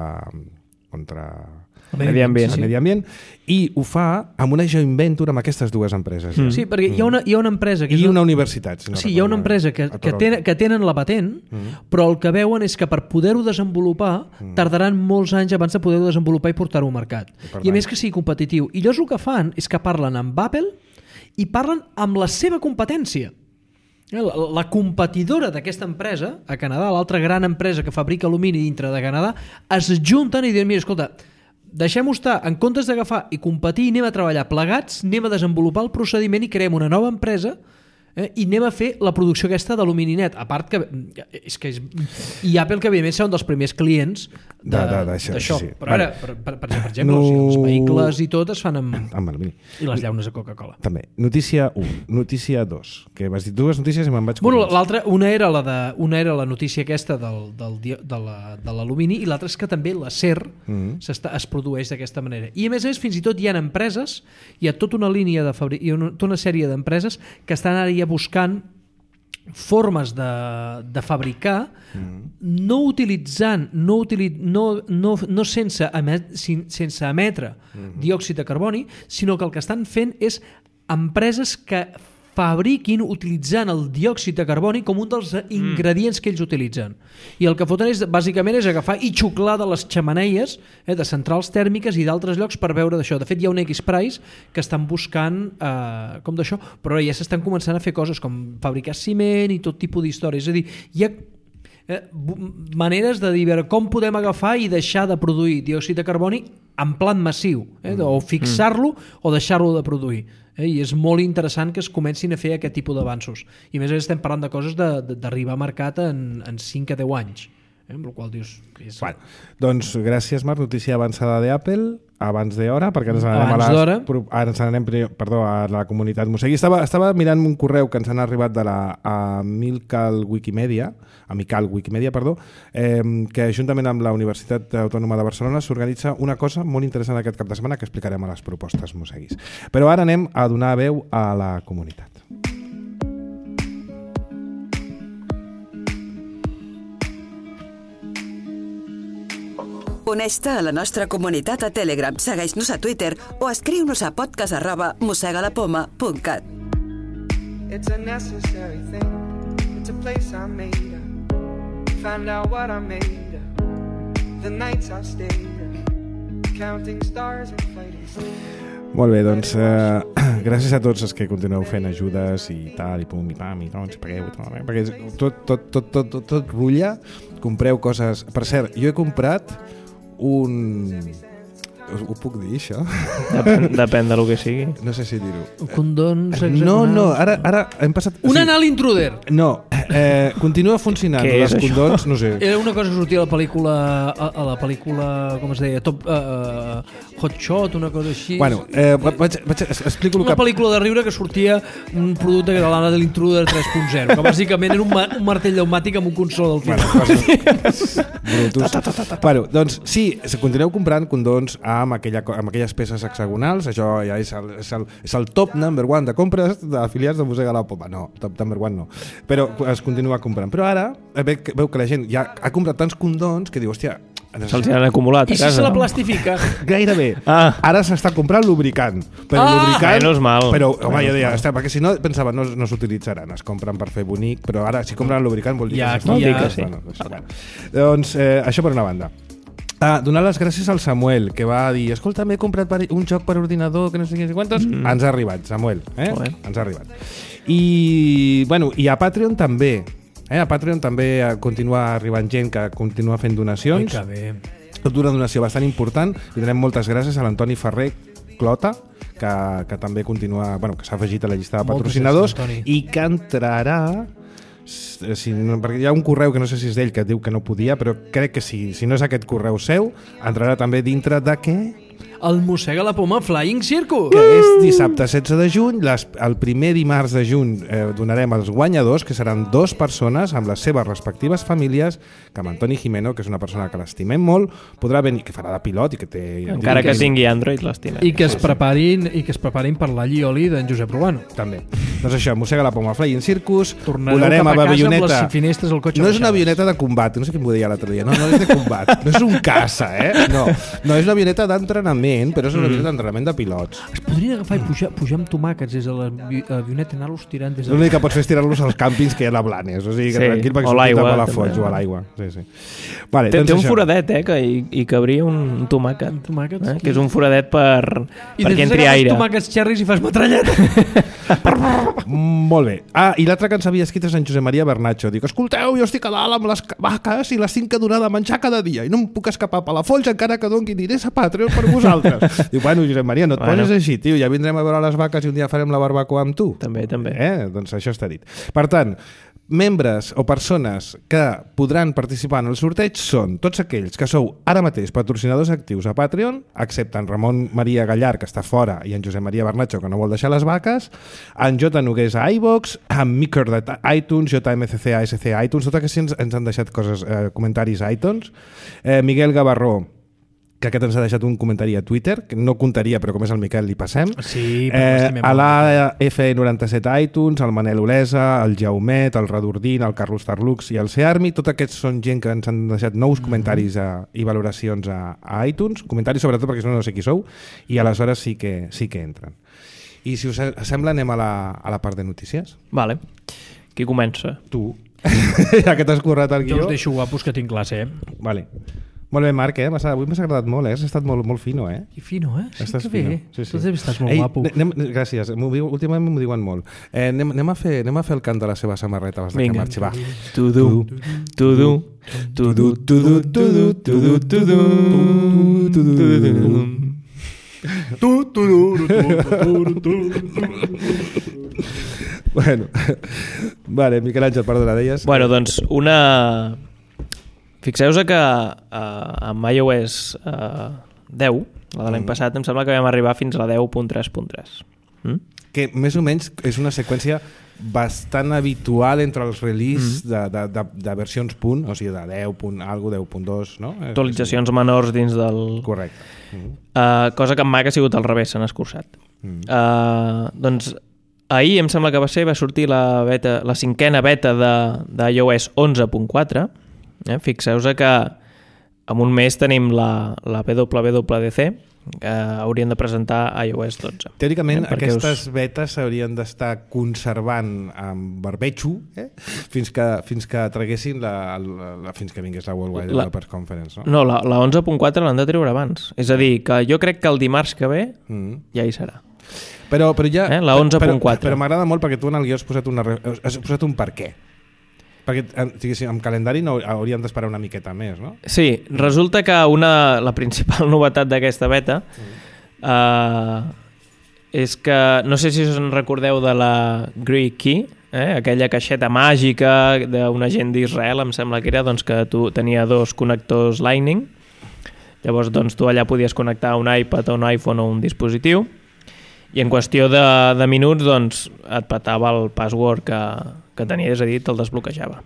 el medi ambient, i ho fa amb una joint venture amb aquestes dues empreses. Sí, perquè hi ha una empresa i una universitat. Hi ha una empresa que tenen la patent, però el que veuen és que per poder-ho desenvolupar tardaran molts anys abans de poder-ho desenvolupar i portar-ho al mercat. I a més que sigui competitiu. I llavors el que fan és que parlen amb Apple i parlen amb la seva competència. La competidora d'aquesta empresa a Canadà, l'altra gran empresa que fabrica alumini dintre de Canadà, es junten i diuen, mira, escolta, deixem-ho estar, en comptes d'agafar i competir, anem a treballar plegats, anem a desenvolupar el procediment i creem una nova empresa i anem a fer la producció aquesta d'alumini net. A part que i Apple, que evidentment són dels primers clients d'això. Sí. Però ara, per exemple, els vehicles i tot es fan amb alumini. I les llaunes de Coca-Cola. També. Notícia 1. Notícia 2. Que m'has dit dues notícies i me'n vaig... Bueno, l'altra, una era la notícia aquesta de l'alumini, i l'altra és que també l'acer es produeix d'aquesta manera. I a més, fins i tot hi ha empreses, hi ha tota una línia tota una sèrie d'empreses que estan ara ja buscant formes de fabricar no utilitzant no sense emetre diòxid de carboni, sinó que el que estan fent és empreses que fabriquin utilitzant el diòxid de carboni com un dels ingredients que ells utilitzen. I el que foten bàsicament és agafar i xuclar de les xemeneies, de centrals tèrmiques i d'altres llocs per veure d'això. De fet, hi ha un X-Prize que estan buscant com d'això, però ja s'estan començant a fer coses com fabricar ciment i tot tipus d'històries. És a dir, hi ha maneres de dir com podem agafar i deixar de produir diòxid de carboni en plan massiu, o fixar-lo o deixar-lo de produir. I és molt interessant que es comencin a fer aquest tipus d'avanços. I a més estem parlant de coses d'arribar a mercat en 5 a 10 anys. Amb el qual dius... Bueno, doncs gràcies, Marc. Notícia avançada d'Apple, abans d'hora, perquè ens n'anem a la comunitat Mosegui. Estava mirant un correu que ens han arribat de la Amical Wikimedia, que juntament amb la Universitat Autònoma de Barcelona s'organitza una cosa molt interessant aquest cap de setmana que explicarem a les propostes Moseguis. Però ara anem a donar veu a la comunitat. Uneix-te a la nostra comunitat a Telegram, segueix-nos a Twitter o escriu-nos a podcast@mosegalapoma.cat. It's a necessary thing. It's a place I made up. Find out what I made up. The nights I stayed up. Counting stars and fighting stars. Molt bé, doncs gràcies a tots els que continueu fent ajudes i tal, i pum, i pam, i doncs pagueu, perquè tot rutlla, compreu coses... Per cert, jo he comprat ho puc dir, això? Depèn del que sigui. No sé si dir-ho. Condons hexagonals. No, ara hem passat... Un anal intruder! No, continua funcionant. Què és les condons, no sé. Era una cosa que sortia a la pel·lícula, com es deia, Hot Shot, una cosa així. Bueno, explico el una pel·lícula de riure que sortia un producte que era l'Anna de l'Intruder 3.0, que bàsicament era un martell pneumàtic amb un consol del final. Bueno, doncs sí, continueu comprant condons amb aquelles peces hexagonals. Això ja és el top number one de compres d'afiliats de Mosega la Poma. No, top number one no. Però es continua comprant. Però ara veu que la gent ja ha comprat tants condons que diu, hòstia, se'ls han acumulat a casa. I si se la plastifica? Gairebé. Ara s'està comprant lubricant. Però lubricant... Menys mal. Però, home, jo deia, perquè si no, pensava, no s'utilitzaran, es compren per fer bonic, però ara, si compren lubricant, vol dir que sí. Doncs, això per una banda. Donar les gràcies al Samuel, que va dir, escolta, m'he comprat un joc per ordinador que no sé quantos. Ens ha arribat, Samuel. Ens ha arribat. I a Patreon també. A Patreon també continua arribant gent que continua fent donacions. Que bé. Tot una donació bastant important. I donem moltes gràcies a l'Antoni Ferrer Clota, que també continua, que s'ha afegit a la llista de patrocinadors i que entrarà... perquè hi ha un correu que no sé si és d'ell que diu que no podia, però crec que si no és aquest correu seu, entrarà també dintre de què? El Mossega la Poma Flying Circus, que és dissabte 16 de juny. El primer dimarts de juny donarem els guanyadors, que seran 2 persones amb les seves respectives famílies, que amb Antoni Jimeno, que és una persona que l'estimem molt, podrà venir, que farà de pilot i que té... Encara que tingui Android, l'estimem. I que es preparin per l'alli oli d'en Josep Rubano. També. Doncs això, Mossega la Poma Flying Circus. Tornarem cap a casa amb les finestres al cotxe. No és una avioneta de combat, no sé qui m'ho deia l'altre dia. No és de combat, no és un caça, No és una avioneta d'entrenament, però és una avioneta d'entrenament de pilots. Es podrien agafar i pujar amb tomàquets des de l'avioneta i anar-los tirant des de... L'únic que pots fer és tirar-los als càmpings que hi ha a Blanes, o sigui que tranquil, perquè sortit a Palafolls o a l'aigua. Vale, té un foradet, que hi cabria un tomàquet. Que és un foradet perquè entri aire. I tomàquets xerris i fas metralleta. Molt bé. I l'altre que ens havia escrit és en Josep Maria Bernacho. Dic, escolteu, jo estic a dalt amb les vaques i les tinc que donar de menjar cada dia i no em puc escapar a Palafolls encara que doni diners a Patreon per vosaltres. nosaltres. Diu, bueno, Josep Maria, no et poses així, tio, ja vindrem a veure les vaques i un dia farem la barbacoa amb tu. També. Doncs això està dit. Per tant, membres o persones que podran participar en el sorteig són tots aquells que sou ara mateix patrocinadors actius a Patreon, excepte en Ramon Maria Gallar, que està fora, i en Josep Maria Bernacho, que no vol deixar les vaques, en J. Nogués a iVox, en Miker de iTunes, JMCC a SC a iTunes, tots aquests ens han deixat comentaris a iTunes, Miguel Gavarró, que aquest ens ha deixat un comentari a Twitter, que no comptaria, però com és el Miquel li passem. Sí, a la F97 iTunes, el Manel Olesa, el Jaumet, el Radordín, el Carlos Tarlux i el Searmi, tots aquests són gent que ens han deixat nous comentaris i valoracions a iTunes, comentaris sobretot perquè no sé qui sou, i aleshores sí que entren. I si us sembla anem a la part de notícies. Vale. Qui comença? Tu. Ja que t'has currat el guió. Jo us deixo guapos que tinc classe, Vale. Molt bé, Marc, avui m'has agradat molt, has estat molt fino, I fino, Sí, estàs que bé. Sí. Tu estàs molt guapo. Gràcies, últimament m'ho diuen molt. Anem a fer el cant de la seva samarreta abans que marxi, va. Tu-du. Bueno, vale, Miquel Àngel, perdona, deies... Bueno, doncs una... Fixeu-vos que amb iOS 10, la de l'any passat, em sembla que vam arribar fins a la 10.3.3. Que més o menys és una seqüència bastant habitual entre els release de versions punt, o sigui, de 10.2, no? Actualitzacions menors dins del... Correcte. Cosa que amb Mac ha sigut al revés, s'han escurçat. Doncs ahir em sembla que va sortir la 5a beta d'iOS 11.4. Fixeu-vos que en un mes tenim la WWDC, que haurien de presentar iOS 12. Teòricament, aquestes betes s'haurien d'estar conservant amb barbecho fins que traguessin fins que vingués la World Wide Developers Conference. No, la 11.4 l'han de treure abans. És a dir, que jo crec que el dimarts que ve ja hi serà. Però ja... La 11.4. Però m'agrada molt perquè tu en el guió has posat un per què. Perquè amb calendari no hauríem d'esperar una miqueta més, no? Sí, resulta que la principal novetat d'aquesta beta és que, no sé si us en recordeu de la Greek Key, aquella caixeta màgica d'un agent d'Israel, em sembla que era, doncs, que tu tenia 2 connectors Lightning. Llavors, doncs, tu allà podies connectar un iPad o un iPhone o un dispositiu i en qüestió de minuts doncs, et petava el password que tenia, és a dir, te'l desbloquejava.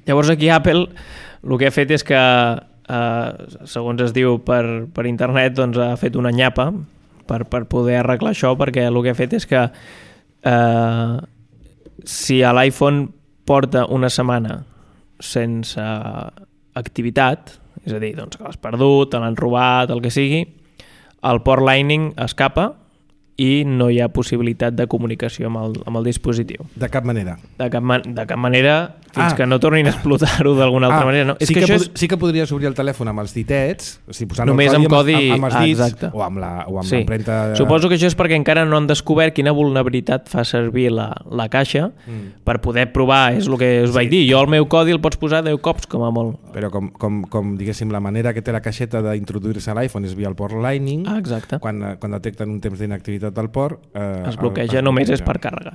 Llavors aquí Apple el que ha fet és que, segons es diu per internet, doncs ha fet una nyapa per poder arreglar això, perquè el que ha fet és que si a l'iPhone porta una setmana sense activitat, és a dir, doncs, que l'has perdut, te l'han robat, el que sigui, el port Lightning escapa i no hi ha possibilitat de comunicació amb el dispositiu. De cap manera. De cap manera, fins que no tornin a explotar-ho d'alguna altra manera. No? Sí que podries obrir el telèfon amb els ditets, o sigui, posant només el codi amb els dits, exacte. o amb l'empremta... Suposo que això és perquè encara no han descobert quina vulnerabilitat fa servir la caixa per poder provar, és el que us vaig dir. Jo el meu codi el pots posar 10 cops, com a molt. Però com diguéssim, la manera que té la caixeta d'introduir-se a l'iPhone és via el port Lightning, exacte. Quan detecten un temps d'inactivitat del port... es bloqueja, només és per càrrega.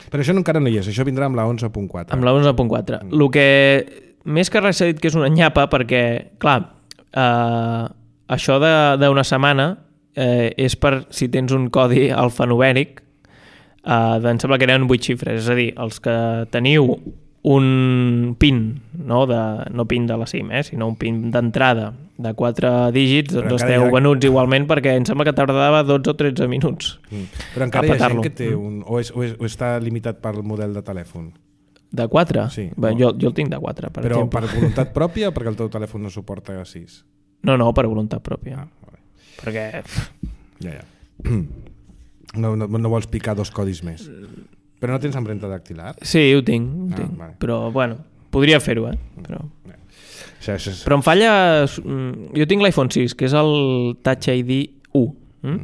Però això encara no hi és, això vindrà amb la 11.4. Amb la 11.4. El que més que res s'ha dit que és una nyapa perquè, clar, això d'una setmana és per si tens un codi alfanumèric, em sembla que eren 8 xifres, és a dir, els que teniu un PIN, no PIN de la SIM, sinó un PIN d'entrada de 4 dígits, doncs esteu venuts igualment, perquè em sembla que tardava 12 o 13 minuts. Però encara hi ha gent que té un... O està limitat pel model de telèfon? De 4? Sí. Bé, jo el tinc de 4, per exemple. Però per voluntat pròpia o perquè el teu telèfon no suporta 6? No, per voluntat pròpia. Perquè... Ja. No vols picar 2 codis més? Però no tens empremta dactilar? Sí, ho tinc. Vale. Però, bueno, podria fer-ho, Però em falla... Jo tinc l'iPhone 6, que és el Touch ID 1.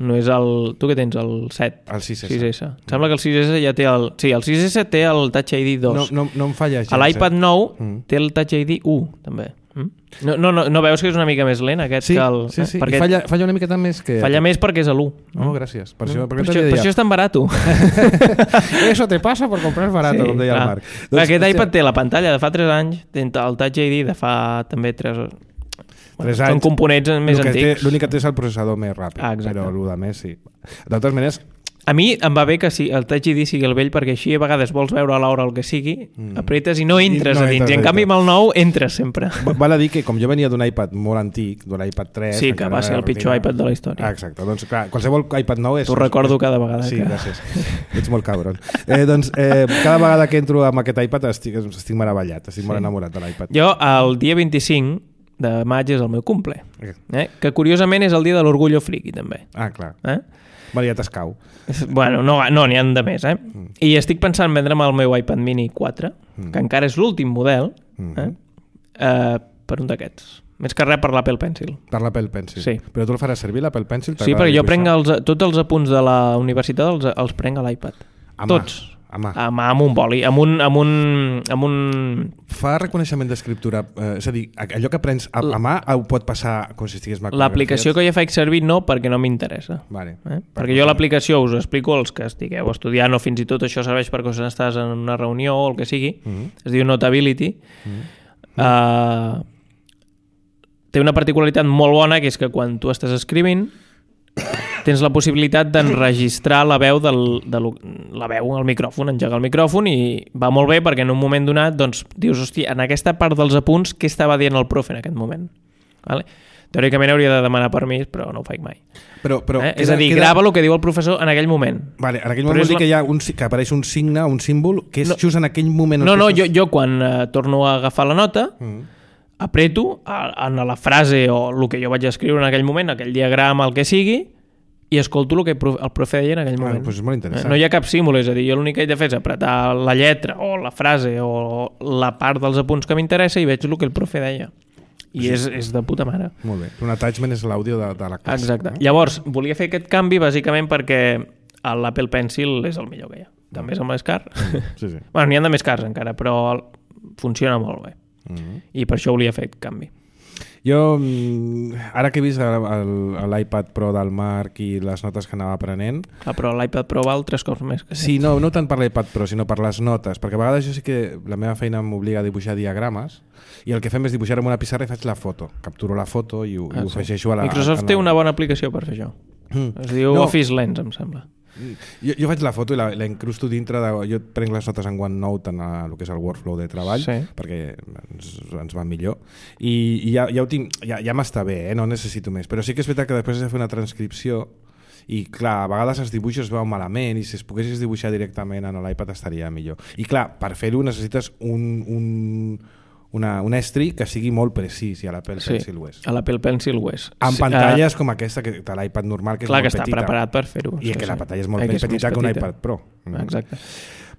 No és el... Tu què tens? El 7? El 6S. Em sembla que el 6S ja té el... Sí, el 6S té el Touch ID 2. No em falla gens. A l'iPad 9 té el Touch ID 1, també. No veus que és una mica més lent aquest sí, que el... Sí, sí, perquè... falla una miqueta més que... Falla més perquè és a l'1. Gràcies. Per això és tan barat. Eso te pasa por comprar barato, com deia el Marc. Aquest iPad té la pantalla de fa 3 anys, el Touch ID de fa també 3 anys. Són components més antics. L'únic que té és el processador més ràpid, però el de més sí. De totes maneres... A mi em va bé que el Touch ID sigui el vell, perquè així a vegades vols veure a l'hora el que sigui, apretes i no entres a dins. I en canvi amb el nou entres sempre. Val a dir que com jo venia d'un iPad molt antic, d'un iPad 3... Sí, que va ser el pitjor iPad de la història. Exacte, doncs clar, qualsevol iPad nou és... T'ho recordo cada vegada. Sí, gràcies. Ets molt cabron. Cada vegada que entro amb aquest iPad estic meravellat, estic molt enamorat de l'iPad. Jo el dia 25 de maig és el meu cumple, que curiosament és el dia de l'orgullo friki també. Ah, clar. Bueno, ja t'escau. Bueno, no n'hi ha de més, I estic pensant en vendre'm el meu iPad mini 4, que encara és l'últim model, per un d'aquests. Més que res per l'Apple Pencil. Per l'Apple Pencil? Sí. Però tu el faràs servir, l'Apple Pencil? Sí, perquè jo prenc tots els apunts de la universitat els prenc a l'iPad. Tots. Amb un boli, amb un... Fa reconeixement d'escriptura, és a dir, allò que prens a mà ho pot passar com si estigués macrografiat? L'aplicació que jo faig servir no, perquè no m'interessa. Vale. Perquè jo l'aplicació us explico els que estigueu estudiant o fins i tot això serveix per quan estàs en una reunió o el que sigui, es diu Notability. Té una particularitat molt bona, que és que quan tu estàs escrivint tens la possibilitat d'enregistrar la veu al micròfon, engegar el micròfon, i va molt bé perquè en un moment donat doncs, dius, hòstia, en aquesta part dels apunts què estava dient el profe en aquest moment? Vale? Teòricament hauria de demanar permís, però no ho faig mai. És a dir, grava el que diu el professor en aquell moment. Vale, en aquell moment vol dir que apareix un signe, un símbol, que és just en aquell moment... Jo quan torno a agafar la nota apreto en la frase o el que jo vaig escriure en aquell moment, aquell diagrama, el que sigui, i escolto el que el profe deia en aquell moment. Doncs és molt interessant. No hi ha cap símbol, és a dir, jo l'únic que he de fer és apretar la lletra o la frase o la part dels apunts que m'interessa i veig el que el profe deia. I és de puta mare. Molt bé. Un attachment és l'àudio de la classe. Exacte. Llavors, volia fer aquest canvi bàsicament perquè l'Apple Pencil és el millor que hi ha. També és el més car. Sí. Bueno, n'hi ha de més cars encara, però funciona molt bé. I per això volia fer aquest canvi. Jo, ara que he vist l'iPad Pro del Marc i les notes que anava aprenent... Però l'iPad Pro val 3 cops més que sí, no tant per l'iPad Pro, sinó per les notes, perquè a vegades jo sí que la meva feina m'obliga a dibuixar diagrames i el que fem és dibuixar amb una pissarra i faig la foto. Capturo la foto i ho afegeixo a la... Microsoft té una bona aplicació per fer això. Es diu Office Lens, em sembla. Jo faig la foto i la incrusto dintre de... Jo prenc les notes en OneNote en el que és el workflow de treball, perquè ens va millor i ja ho tinc, ja m'està bé, no necessito més, però sí que és veritat que després he de fer una transcripció i clar, a vegades els dibuixos es veuen malament i si es poguessis dibuixar directament en l'iPad estaria millor. I clar, per fer-ho necessites un estri que sigui molt precís i a l'Apple Pencil ho és. A l'Apple Pencil ho és. Amb pantalles com aquesta que de l'iPad normal, que és molt petita. Clar, que està preparat per fer-ho. I que la pantalla és molt més petita que un iPad Pro. Exacte.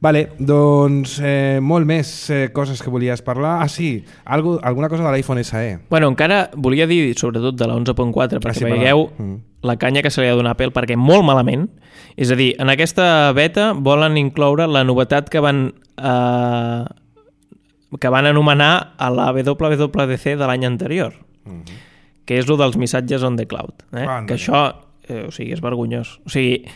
Vale, doncs molt més coses que volies parlar. Ah, sí, alguna cosa de l'iPhone SE. Bueno, encara volia dir sobretot de la 11.4 perquè veieu la canya que se li ha donat a Apple, perquè molt malament, és a dir, en aquesta beta volen incloure la novetat que van anomenar a la WWDC de l'any anterior, que és el dels missatges on the cloud. Que això, és vergonyós. O sigui,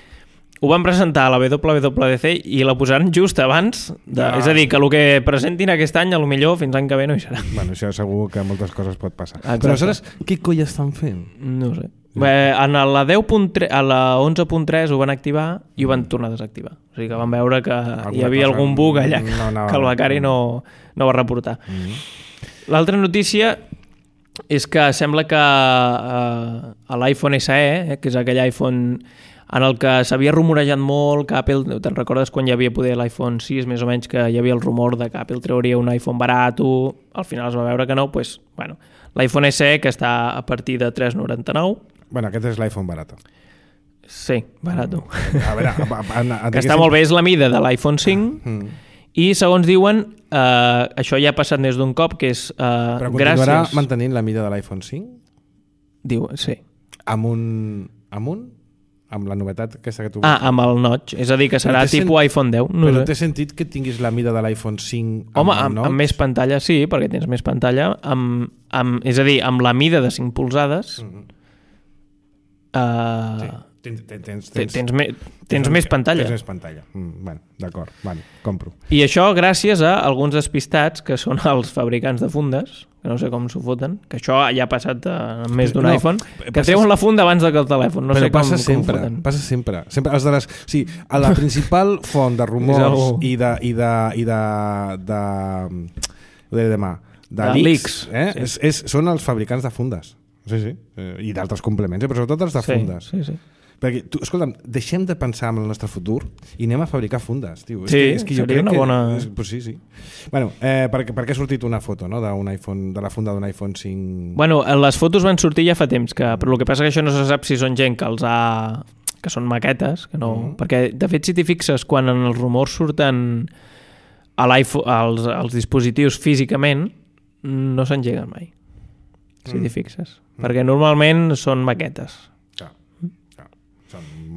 ho van presentar a la WWDC i la posaran just abans, és a dir, que el que presentin aquest any, potser fins l'any que ve no hi serà. Bueno, això segur que moltes coses pot passar. Però aleshores, què coi estan fent? No ho sé. En la 10.3, a la 11.3 ho van activar i ho van tornar a desactivar. O sigui que van veure que hi havia algun bug allà que el becari no va reportar. L'altra notícia és que sembla que a l'iPhone SE, que és aquell iPhone en el que s'havia rumorejat molt que Apple, te'n recordes quan hi havia poder l'iPhone 6, més o menys, que hi havia el rumor de que Apple trauria un iPhone barat, al final es va veure que no, doncs, bueno, l'iPhone SE, que està a partir de 399. Bueno, aquest és l'iPhone barato. Sí, barato. A veure, que està molt bé, és la mida de l'iPhone 5, i segons diuen, això ja ha passat més d'un cop, que és però continuarà mantenint la mida de l'iPhone 5? Diu, sí. Amb un amb la novetat aquesta que tu... amb el notch, és a dir, que serà tipus iPhone 10. No però sé. té sentit que tinguis la mida de l'iPhone 5 Home, amb més pantalla sí, perquè tens més pantalla, és a dir, amb la mida de 5 polzades tens més pantalla. Tens més pantalla. Bueno, d'acord, vale, compro. I això gràcies a alguns despistats que són els fabricants de fundes, que no sé com s'ho foten, que això ja ha passat amb més d'un iPhone, que treuen la funda abans que el telèfon. No sé com ho foten. Passa sempre. Els de les, sí, a la principal font de rumors i de leaks, són els fabricants de fundes. Sí. I d'altres complements, però sobretot els de fundes. Sí. Perquè, escolta'm, deixem de pensar en el nostre futur i anem a fabricar fundes, tio. És que jo crec una bona... Pues sí. Bueno, per què ha sortit una foto, no?, d'un iPhone, de la funda d'un iPhone 5... Bueno, les fotos van sortir ja fa temps, però el que passa que això no se sap si són gent que que són maquetes, que no... Perquè, de fet, si t'hi fixes, quan en els rumors surten a l'iPhone, als dispositius físicament, no s'engeguen mai, si t'hi fixes. Perquè normalment són maquetes.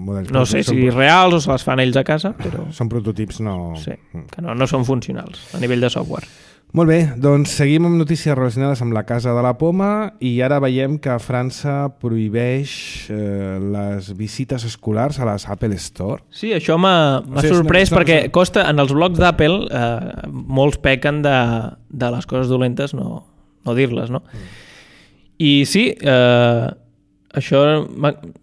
No sé si reals o se les fan ells a casa, però... Són prototips, no... Sí, que no són funcionals a nivell de software. Molt bé, doncs seguim amb notícies relacionades amb la Casa de la Poma i ara veiem que França prohibeix les visites escolars a les Apple Store. Sí, això m'ha sorprès perquè costa, en els blogs d'Apple molts pequen de les coses dolentes no dir-les, no? I sí, això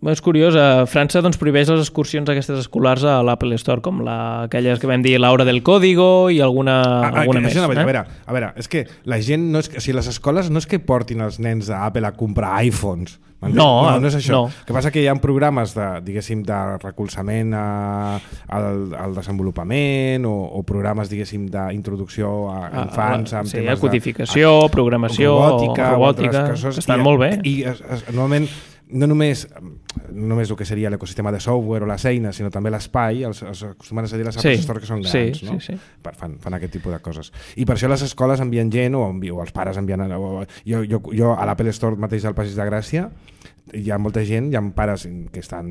és curiós. A França doncs, prohibeix les excursions aquestes escolars a l'Apple Store, com aquelles que vam dir l'Hora del Código i alguna més. A veure, és que la gent no és que, les escoles no és que portin els nens d'Apple a comprar iPhones. No és això. No. El que passa que hi ha programes de recolzament al desenvolupament o programes, d'introducció a infants amb temes de codificació, programació, robòtica, que estan molt bé. I normalment no només el que seria l'ecosistema de software o les eines, sinó també l'espai, els acostumen a dir les Apple Store que són grans, no? Sí. Fan aquest tipus de coses. I per això les escoles envien gent o els pares envien... Jo a l'Apple Store mateix al Passeig de Gràcia hi ha molta gent, hi ha pares que estan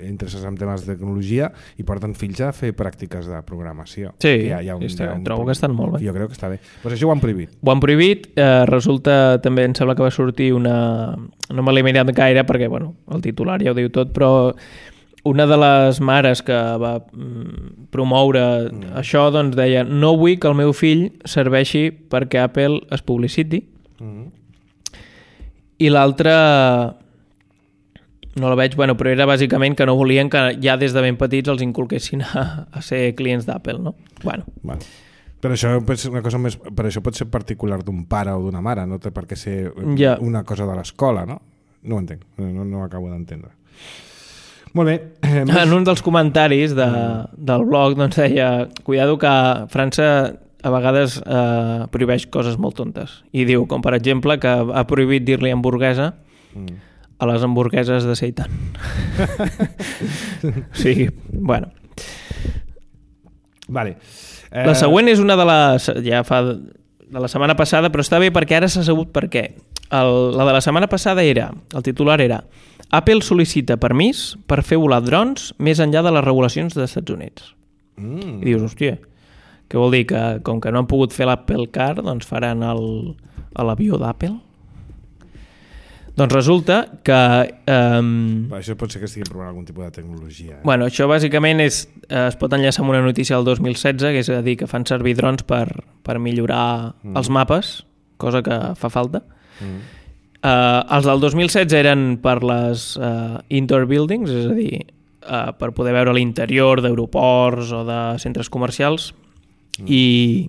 interessats en temes de tecnologia i porten fills a fer pràctiques de programació. Sí, trobo que estan molt bé. Jo crec que està bé. Pues això ho han prohibit. Ho han prohibit, resulta, també em sembla que va sortir no me l'he mirat gaire perquè, bueno, el titular ja ho diu tot, però una de les mares que va promoure això, doncs deia: no vull que el meu fill serveixi perquè Apple es publiciti. I l'altra... no la veig, però era bàsicament que no volien que ja des de ben petits els inculquessin a ser clients d'Apple, no? Bueno. Però això és una cosa més... Però això pot ser particular d'un pare o d'una mare, no té per què ser una cosa de l'escola, no? No ho entenc, no ho acabo d'entendre. Molt bé. En un dels comentaris del blog doncs deia: cuidado que França a vegades prohibeix coses molt tontes. I diu, com per exemple, que ha prohibit dir-li hamburguesa a les hamburgueses de seitan. Sí, bueno. Vale. La següent és una de la setmana passada, però està bé perquè ara s'ha sabut per què. La de la setmana passada el titular era: Apple sol·licita permís per fer volar drons més enllà de les regulacions dels Estats Units. I dius, hòstia, què vol dir? Que com que no han pogut fer l'Apple Car, doncs faran l'avió d'Apple? Doncs resulta que... Això pot ser que estiguin provant algun tipus de tecnologia. Bueno, això bàsicament es pot enllaçar amb una notícia del 2016, que és a dir, que fan servir drons per millorar els mapes, cosa que fa falta. Els del 2016 eren per les indoor buildings, és a dir, per poder veure l'interior d'aeroports o de centres comercials, i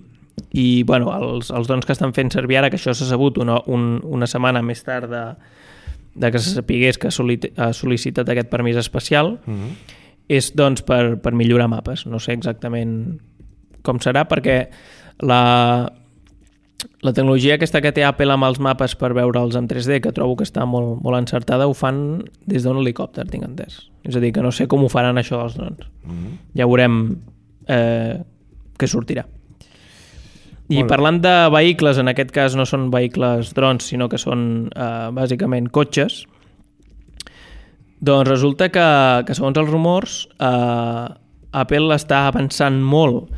bueno, els drons que estan fent servir ara, que això s'ha sabut una setmana més tard de que se sapigués que ha sol·licitat aquest permís especial, és doncs per millorar mapes. No sé exactament com serà, perquè la tecnologia aquesta que té Apple amb els mapes per veure'ls en 3D, que trobo que està molt, molt encertada, ho fan des d'un helicòpter, tinc entès. És a dir, que no sé com ho faran això dels drons. Ja veurem què sortirà. I parlant de vehicles, en aquest cas no són vehicles drons, sinó que són bàsicament cotxes, Doncs resulta que segons els rumors, Apple està avançant molt,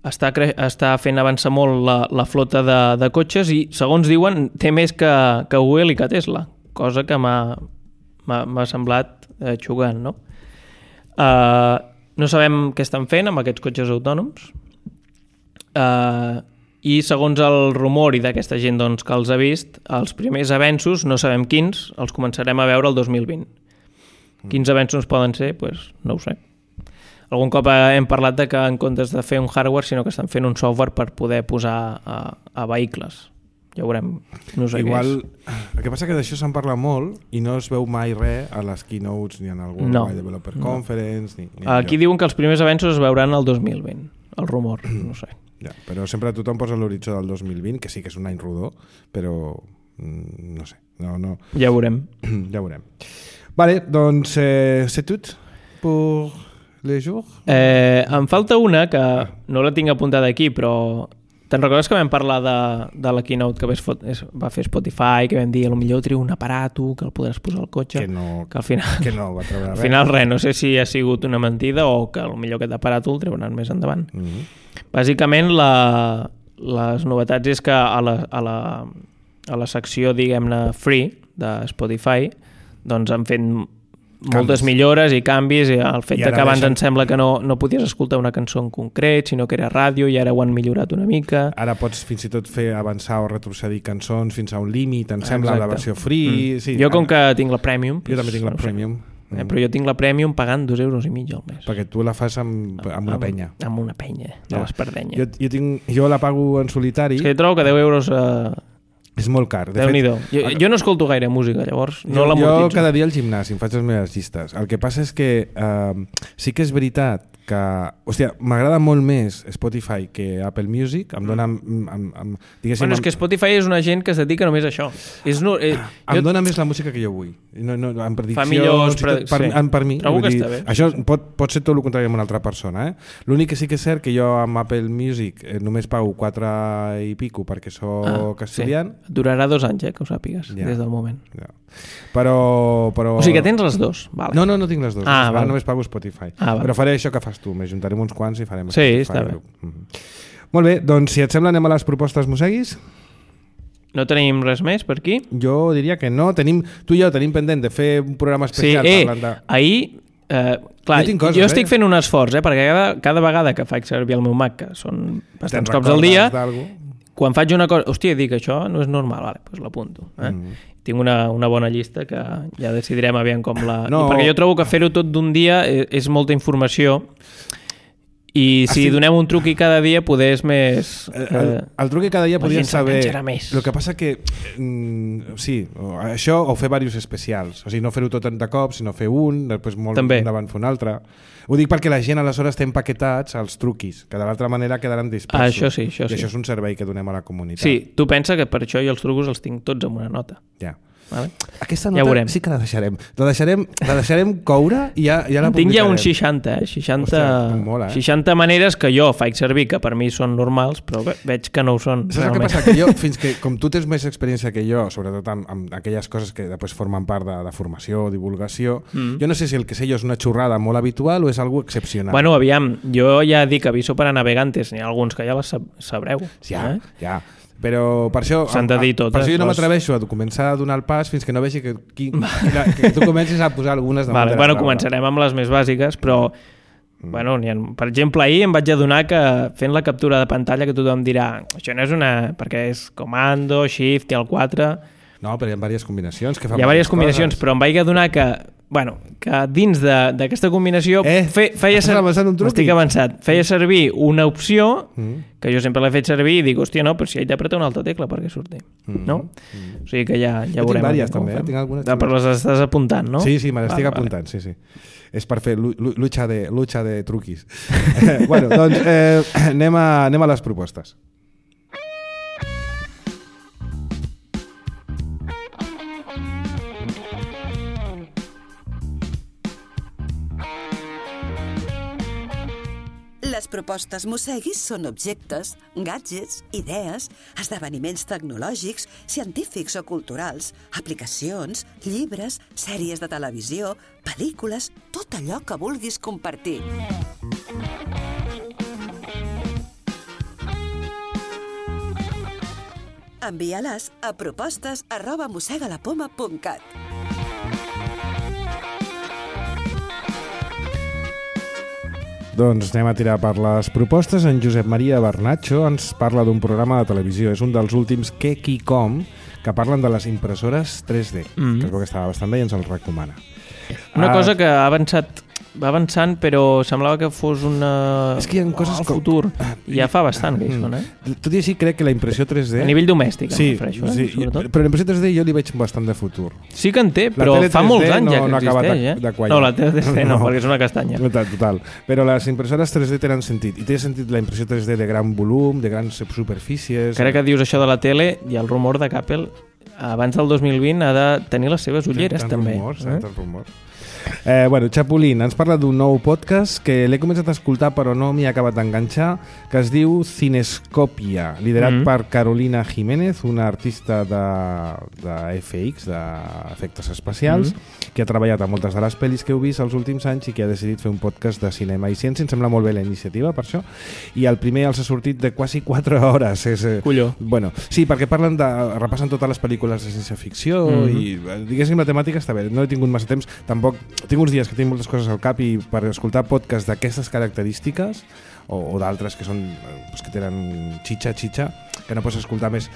està fent avançar molt la flota de cotxes i, segons diuen, té més que Google i que Tesla, cosa que m'ha semblat xocant, no? No sabem què estan fent amb aquests cotxes autònoms i segons el rumor i d'aquesta gent doncs, que els ha vist, els primers avenços, no sabem quins, els començarem a veure el 2020. Quins avenços poden ser? Pues, no ho sé. Algun cop hem parlat de que en comptes de fer un hardware, sinó que estan fent un software per poder posar a vehicles. Ja ho veurem. No sé igual, el que passa que d'això se'n parla molt i no es veu mai res a les keynotes ni en el Worldwide Developer Conference. Ni aquí diuen que els primers avenços es veuran el 2020. El rumor, no sé. Ja, però sempre tothom posa l'horitzó del 2020, que sí que és un any rodó, però no sé. No. Ja ho veurem. Ja ho veurem. Vale, doncs c'est tout pour les jours? Em falta una que no la tinc apuntada aquí, però te'n recordes que vam parlar de la keynote que va fer Spotify, que vam dir que potser treu un aparato que el podràs posar al cotxe? Que al final, que no va treure res. Al final res, no sé si ha sigut una mentida o que potser aquest aparato el treuran més endavant. Bàsicament les novetats és que a la secció, diguem-ne, free de Spotify doncs han fet moltes millores i canvis, i el fet que abans em sembla que no podies escoltar una cançó en concret, sinó que era ràdio, i ara ho han millorat una mica. Ara pots fins i tot fer avançar o retrocedir cançons fins a un límit, em sembla, la versió free. Sí, jo com que tinc la Premium... Jo també tinc la Premium. Però jo tinc la Premium pagant 2,5 € al mes. Perquè tu la fas amb una penya. Amb una penya, de l'espardenya. Jo la pago en solitari. És que jo trobo que 10 euros... És molt car. Déu-n'hi-do. Jo no escolto gaire música, llavors no l'amortitzo. Jo cada dia al gimnàs em faig les meves llistes. El que passa és que sí que és veritat que... Hòstia, m'agrada molt més Spotify que Apple Music. Em dona... Bueno, és que Spotify és una gent que es dedica només a això. Em dona més la música que jo vull. En prediccions... Fa millors... Per mi. Trobo que està bé. Això pot ser tot el contrari amb una altra persona. L'únic que sí que és cert que jo amb Apple Music només pago 4 i pico perquè soc estudiant. Sí. Durarà 2 anys, que ho sàpigues, des del moment. Ja. Però... O sigui que tens les dues. Vale. No tinc les dues. Ara només pago Spotify. Vale. Però faré això que fas tu, m'ajuntarem uns quants i farem Spotify. Sí, està bé. Molt bé, doncs si et sembla anem a les propostes mosseguis. No tenim res més per aquí? Jo diria que no. Tu i jo tenim pendent de fer un programa especial parlant de... Ahir... clar, jo estic fent un esforç, perquè cada vegada que faig servir el meu Mac, que són bastants cops al dia, quan faig una cosa... Hòstia, dic, això no és normal, doncs l'apunto. Tinc una bona llista que ja decidirem aviam com la... Perquè jo trobo que fer-ho tot d'un dia és molta informació i si donem un truqui cada dia poder és més... El truqui cada dia podien saber... Més. El que passa que sí, això o fer diversos especials, o sigui, no fer-ho tot de cop, sinó fer un, després molt endavant fer un altre. Ho dic perquè la gent aleshores té empaquetats els truquis, que de l'altra manera quedaran dispersos. Això sí. I això és un servei que donem a la comunitat. Sí, tu pensa que per això jo els trucos els tinc tots amb una nota. Ja. Vale? Aquesta nota sí que la deixarem. La deixarem coure i ja la publicarem. Tinc ja uns 60, 60 maneres que jo faig servir, que per mi són normals, però veig que no ho són. Saps el que passa? Que jo, fins que, com tu tens més experiència que jo, sobretot amb aquelles coses que després formen part de formació o divulgació, jo no sé si el que sé jo és una xorrada molt habitual o és algo excepcional. Bueno, aviam, jo ja dic aviso para navegantes, n'hi ha alguns que ja les sabreu. Ja. Però per això, per això jo no m'atreveixo a començar a donar el pas fins que no vegi que tu comencis a posar algunes damunt de la taula. Començarem amb les més bàsiques, però per exemple, ahir em vaig adonar que fent la captura de pantalla que tothom dirà això no és perquè és comando, shift i el 4. No, però hi ha diverses combinacions. Hi ha diverses combinacions, però em vaig adonar que dins d'aquesta combinació feia servir una opció que jo sempre l'he fet servir i dic, hòstia, no, però si he d'apretar una altra tecla perquè surti, no? O sigui que ja veurem. Tinc diverses també, tinc algunes. Però les estàs apuntant, no? Sí, me les estic apuntant, sí. És per fer lucha de truquis. Bueno, doncs anem a les propostes. Les propostes Mosseguis són objectes, gadgets, idees, esdeveniments tecnològics, científics o culturals, aplicacions, llibres, sèries de televisió, pel·lícules, tot allò que vulguis compartir. Envia-les a propostes@mossegalapoma.cat. Doncs anem a tirar per les propostes. En Josep Maria Bernatxo ens parla d'un programa de televisió. És un dels últims Què, qui, com, que parlen de les impressores 3D, que es veu que estava bastant bé i ens el recomana. Una cosa que va avançant, però semblava que fos és que hi ha coses al futur. Ja fa bastant que hi són, Tot i així, crec que la impressió 3D... A nivell domèstic, sí, em refereixo, però la impressió 3D jo li veig bastant de futur. Sí que en té, però fa molts anys ja que existeix, de quallar. No, la 3D no, perquè és una castanya. Total. Però les impressores 3D tenen sentit. I té sentit la impressió 3D de gran volum, de grans superfícies... Crec que dius això de la tele, hi ha el rumor de que Apple, abans del 2020, ha de tenir les seves ulleres, també. Tants rumors. Chapulín ens parla d'un nou podcast que l'he començat a escoltar però no m'hi ha acabat d'enganxar, que es diu Cinescòpia, liderat per Carolina Jiménez, una artista de FX, d'efectes especials, que ha treballat a moltes de les pel·lis que heu vist els últims anys i que ha decidit fer un podcast de cinema i ciència. Em sembla molt bé la iniciativa per això, i el primer els ha sortit de quasi 4 hores. Colló. Sí, perquè repassen totes les pel·lícules de ciència ficció i diguéssim la temàtica està bé. No he tingut massa temps, tampoc tinc uns dies que tinc moltes coses al cap i per escoltar podcasts d'aquestes característiques o d'altres que són que tenen xitxa, que no pots escoltar més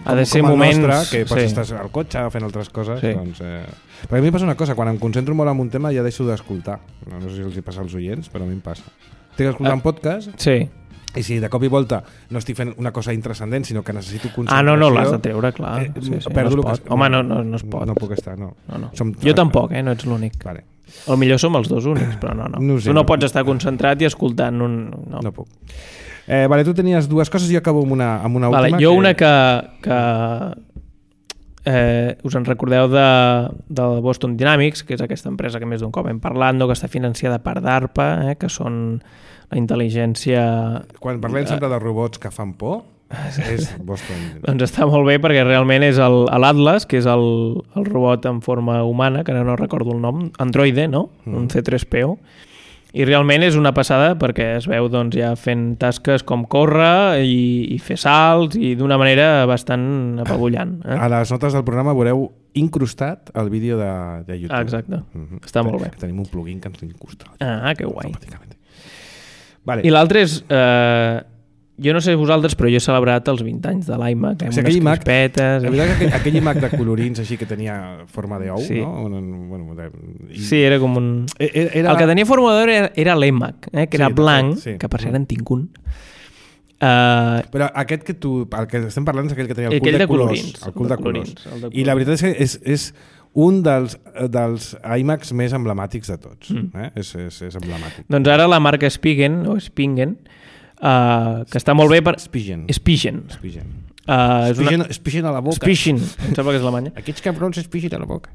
ha de ser moments nostre, que pots estar al cotxe fent altres coses, doncs, perquè a mi em passa una cosa, quan em concentro molt en un tema ja deixo d'escoltar, no sé si els hi passa als oients, però a mi em passa, estic escoltant podcast i si de cop i volta no estic fent una cosa intranscendent, sinó que necessito concentració... no, l'has de treure, clar. Perdo no es pot. Home, no es pot. No puc estar, no. Jo tampoc, no ets l'únic. Vale. O millor som els dos únics, però no. Tu no pots estar concentrat i escoltant No puc. Tu tenies dues coses, jo acabo amb una última. Jo una que us en recordeu de Boston Dynamics, que és aquesta empresa que més d'un cop hem parlat, que està financiada per DARPA, que són la intel·ligència... Quan parlem sempre de robots que fan por, és Boston. Doncs està molt bé perquè realment és l'Atlas, que és el robot en forma humana, que no recordo el nom, androide, no? Un C3PO. I realment és una passada perquè es veu ja fent tasques com córrer i fer salts i d'una manera bastant apabullant. A les notes del programa veureu incrustat el vídeo de YouTube. Exacte, està molt bé. Tenim un plugin que ens incrusta. Que guai. I l'altre és... Jo no sé vosaltres, però jo he celebrat els 20 anys de l'iMac, amb unes crispetes... La veritat que aquell iMac de colorins així que tenia forma d'ou, no? Sí, era com un... El que tenia forma d'ou era l'EMAC, que era blanc, que per cert en tinc un. Però aquest que el que estem parlant és aquell que tenia el cul de colors. El cul de colors. I la veritat és que és un dels iMacs més emblemàtics de tots. És emblemàtic. Doncs ara la marca Spigen, que està molt bé per... Spigen. Spigen a la boca. Spigen, em sembla que és alemanya. Aquests cabrons Spigen a la boca.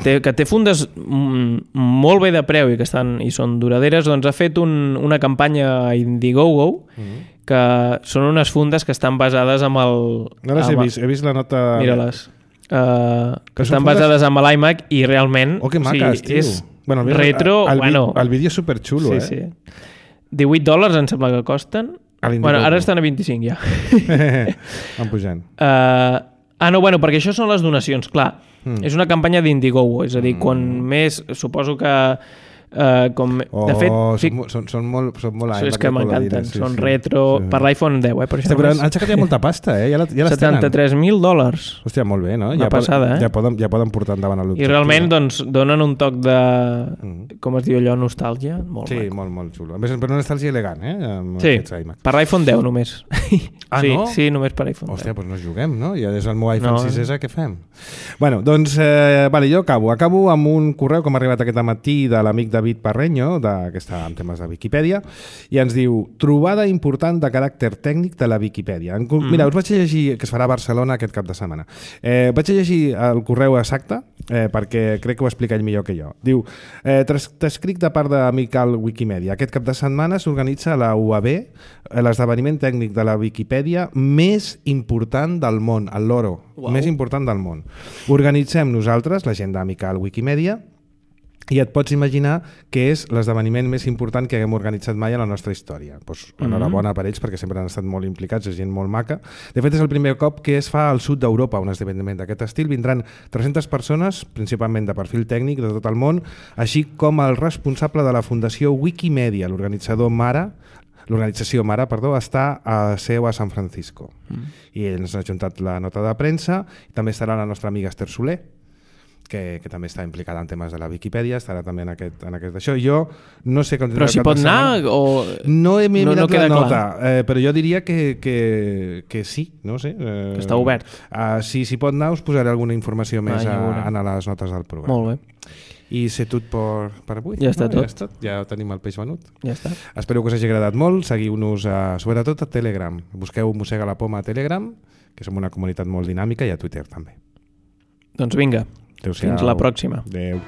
Que té fundes molt bé de preu i que són duraderes, doncs ha fet una campanya a Indiegogo que són unes fundes que estan basades amb el... No les he vist, he vist la nota... Mira-les. Que estan basades amb l'iMac i realment... Que maques, tio. És retro... El vídeo és superxulo, Sí. $18 em sembla que costen. Ara estan a 25 ja. Van pujant. Perquè això són les donacions, clar. És una campanya d'Indiegogo, és a dir, quan més, suposo que de fet, són molt iMac. És que m'encanten, són retro, per l'iPhone 10, per això. Però han aixecat ja molta pasta, ja les tenen. $73,000. Hòstia, molt bé, no? Una passada, ja poden portar endavant l'objectiu. I realment, doncs, donen un toc de, com es diu allò, nostàlgia. Sí, molt xulo. A més, però una nostàlgia elegant, Sí, per l'iPhone 10 només. No? Sí, només per iPhone 10. Hòstia, doncs no juguem, no? Ja és el meu iPhone 6S, què fem? Bueno, doncs, jo acabo amb un correu que m'ha arribat aquest matí de l'amic David Parreño, que està en temes de Viquipèdia, i ens diu: trobada important de caràcter tècnic de la Viquipèdia. Mira, us vaig llegir, que es farà a Barcelona aquest cap de setmana. Vaig llegir el correu exacte, perquè crec que ho explica ell millor que jo. Diu: t'escric de part de Miquel Wikimedia. Aquest cap de setmana s'organitza a la UAB l'esdeveniment tècnic de la Viquipèdia més important del món, el Loro, més important del món. Organitzem nosaltres, la gent de Miquel Wikimedia, i et pots imaginar que és l'esdeveniment més important que haguem organitzat mai a la nostra història. Enhorabona per ells, perquè sempre han estat molt implicats, és gent molt maca. De fet, és el primer cop que es fa al sud d'Europa un esdeveniment d'aquest estil. Vindran 300 persones, principalment de perfil tècnic de tot el món, així com el responsable de la Fundació Wikimedia, l'organització Mara, està a seu a San Francisco. I ens ha ajuntat la nota de premsa. També estarà la nostra amiga Esther Soler, que també està implicada en temes de la Viquipèdia, estarà també en aquest d'això. Jo no sé com... Però si pot anar o... No he mirat la nota, però jo diria que sí, no sé. Que està obert. Si pot anar, us posaré alguna informació més a les notes del programa. Molt bé. I sé tot per avui. Ja està tot. Ja tenim el peix venut. Ja està. Espero que us hagi agradat molt. Seguiu-nos sobretot a Telegram. Busqueu Mossega la Poma a Telegram, que som una comunitat molt dinàmica, i a Twitter també. Doncs vinga. Adéu-siau. Fins la pròxima. Adéu.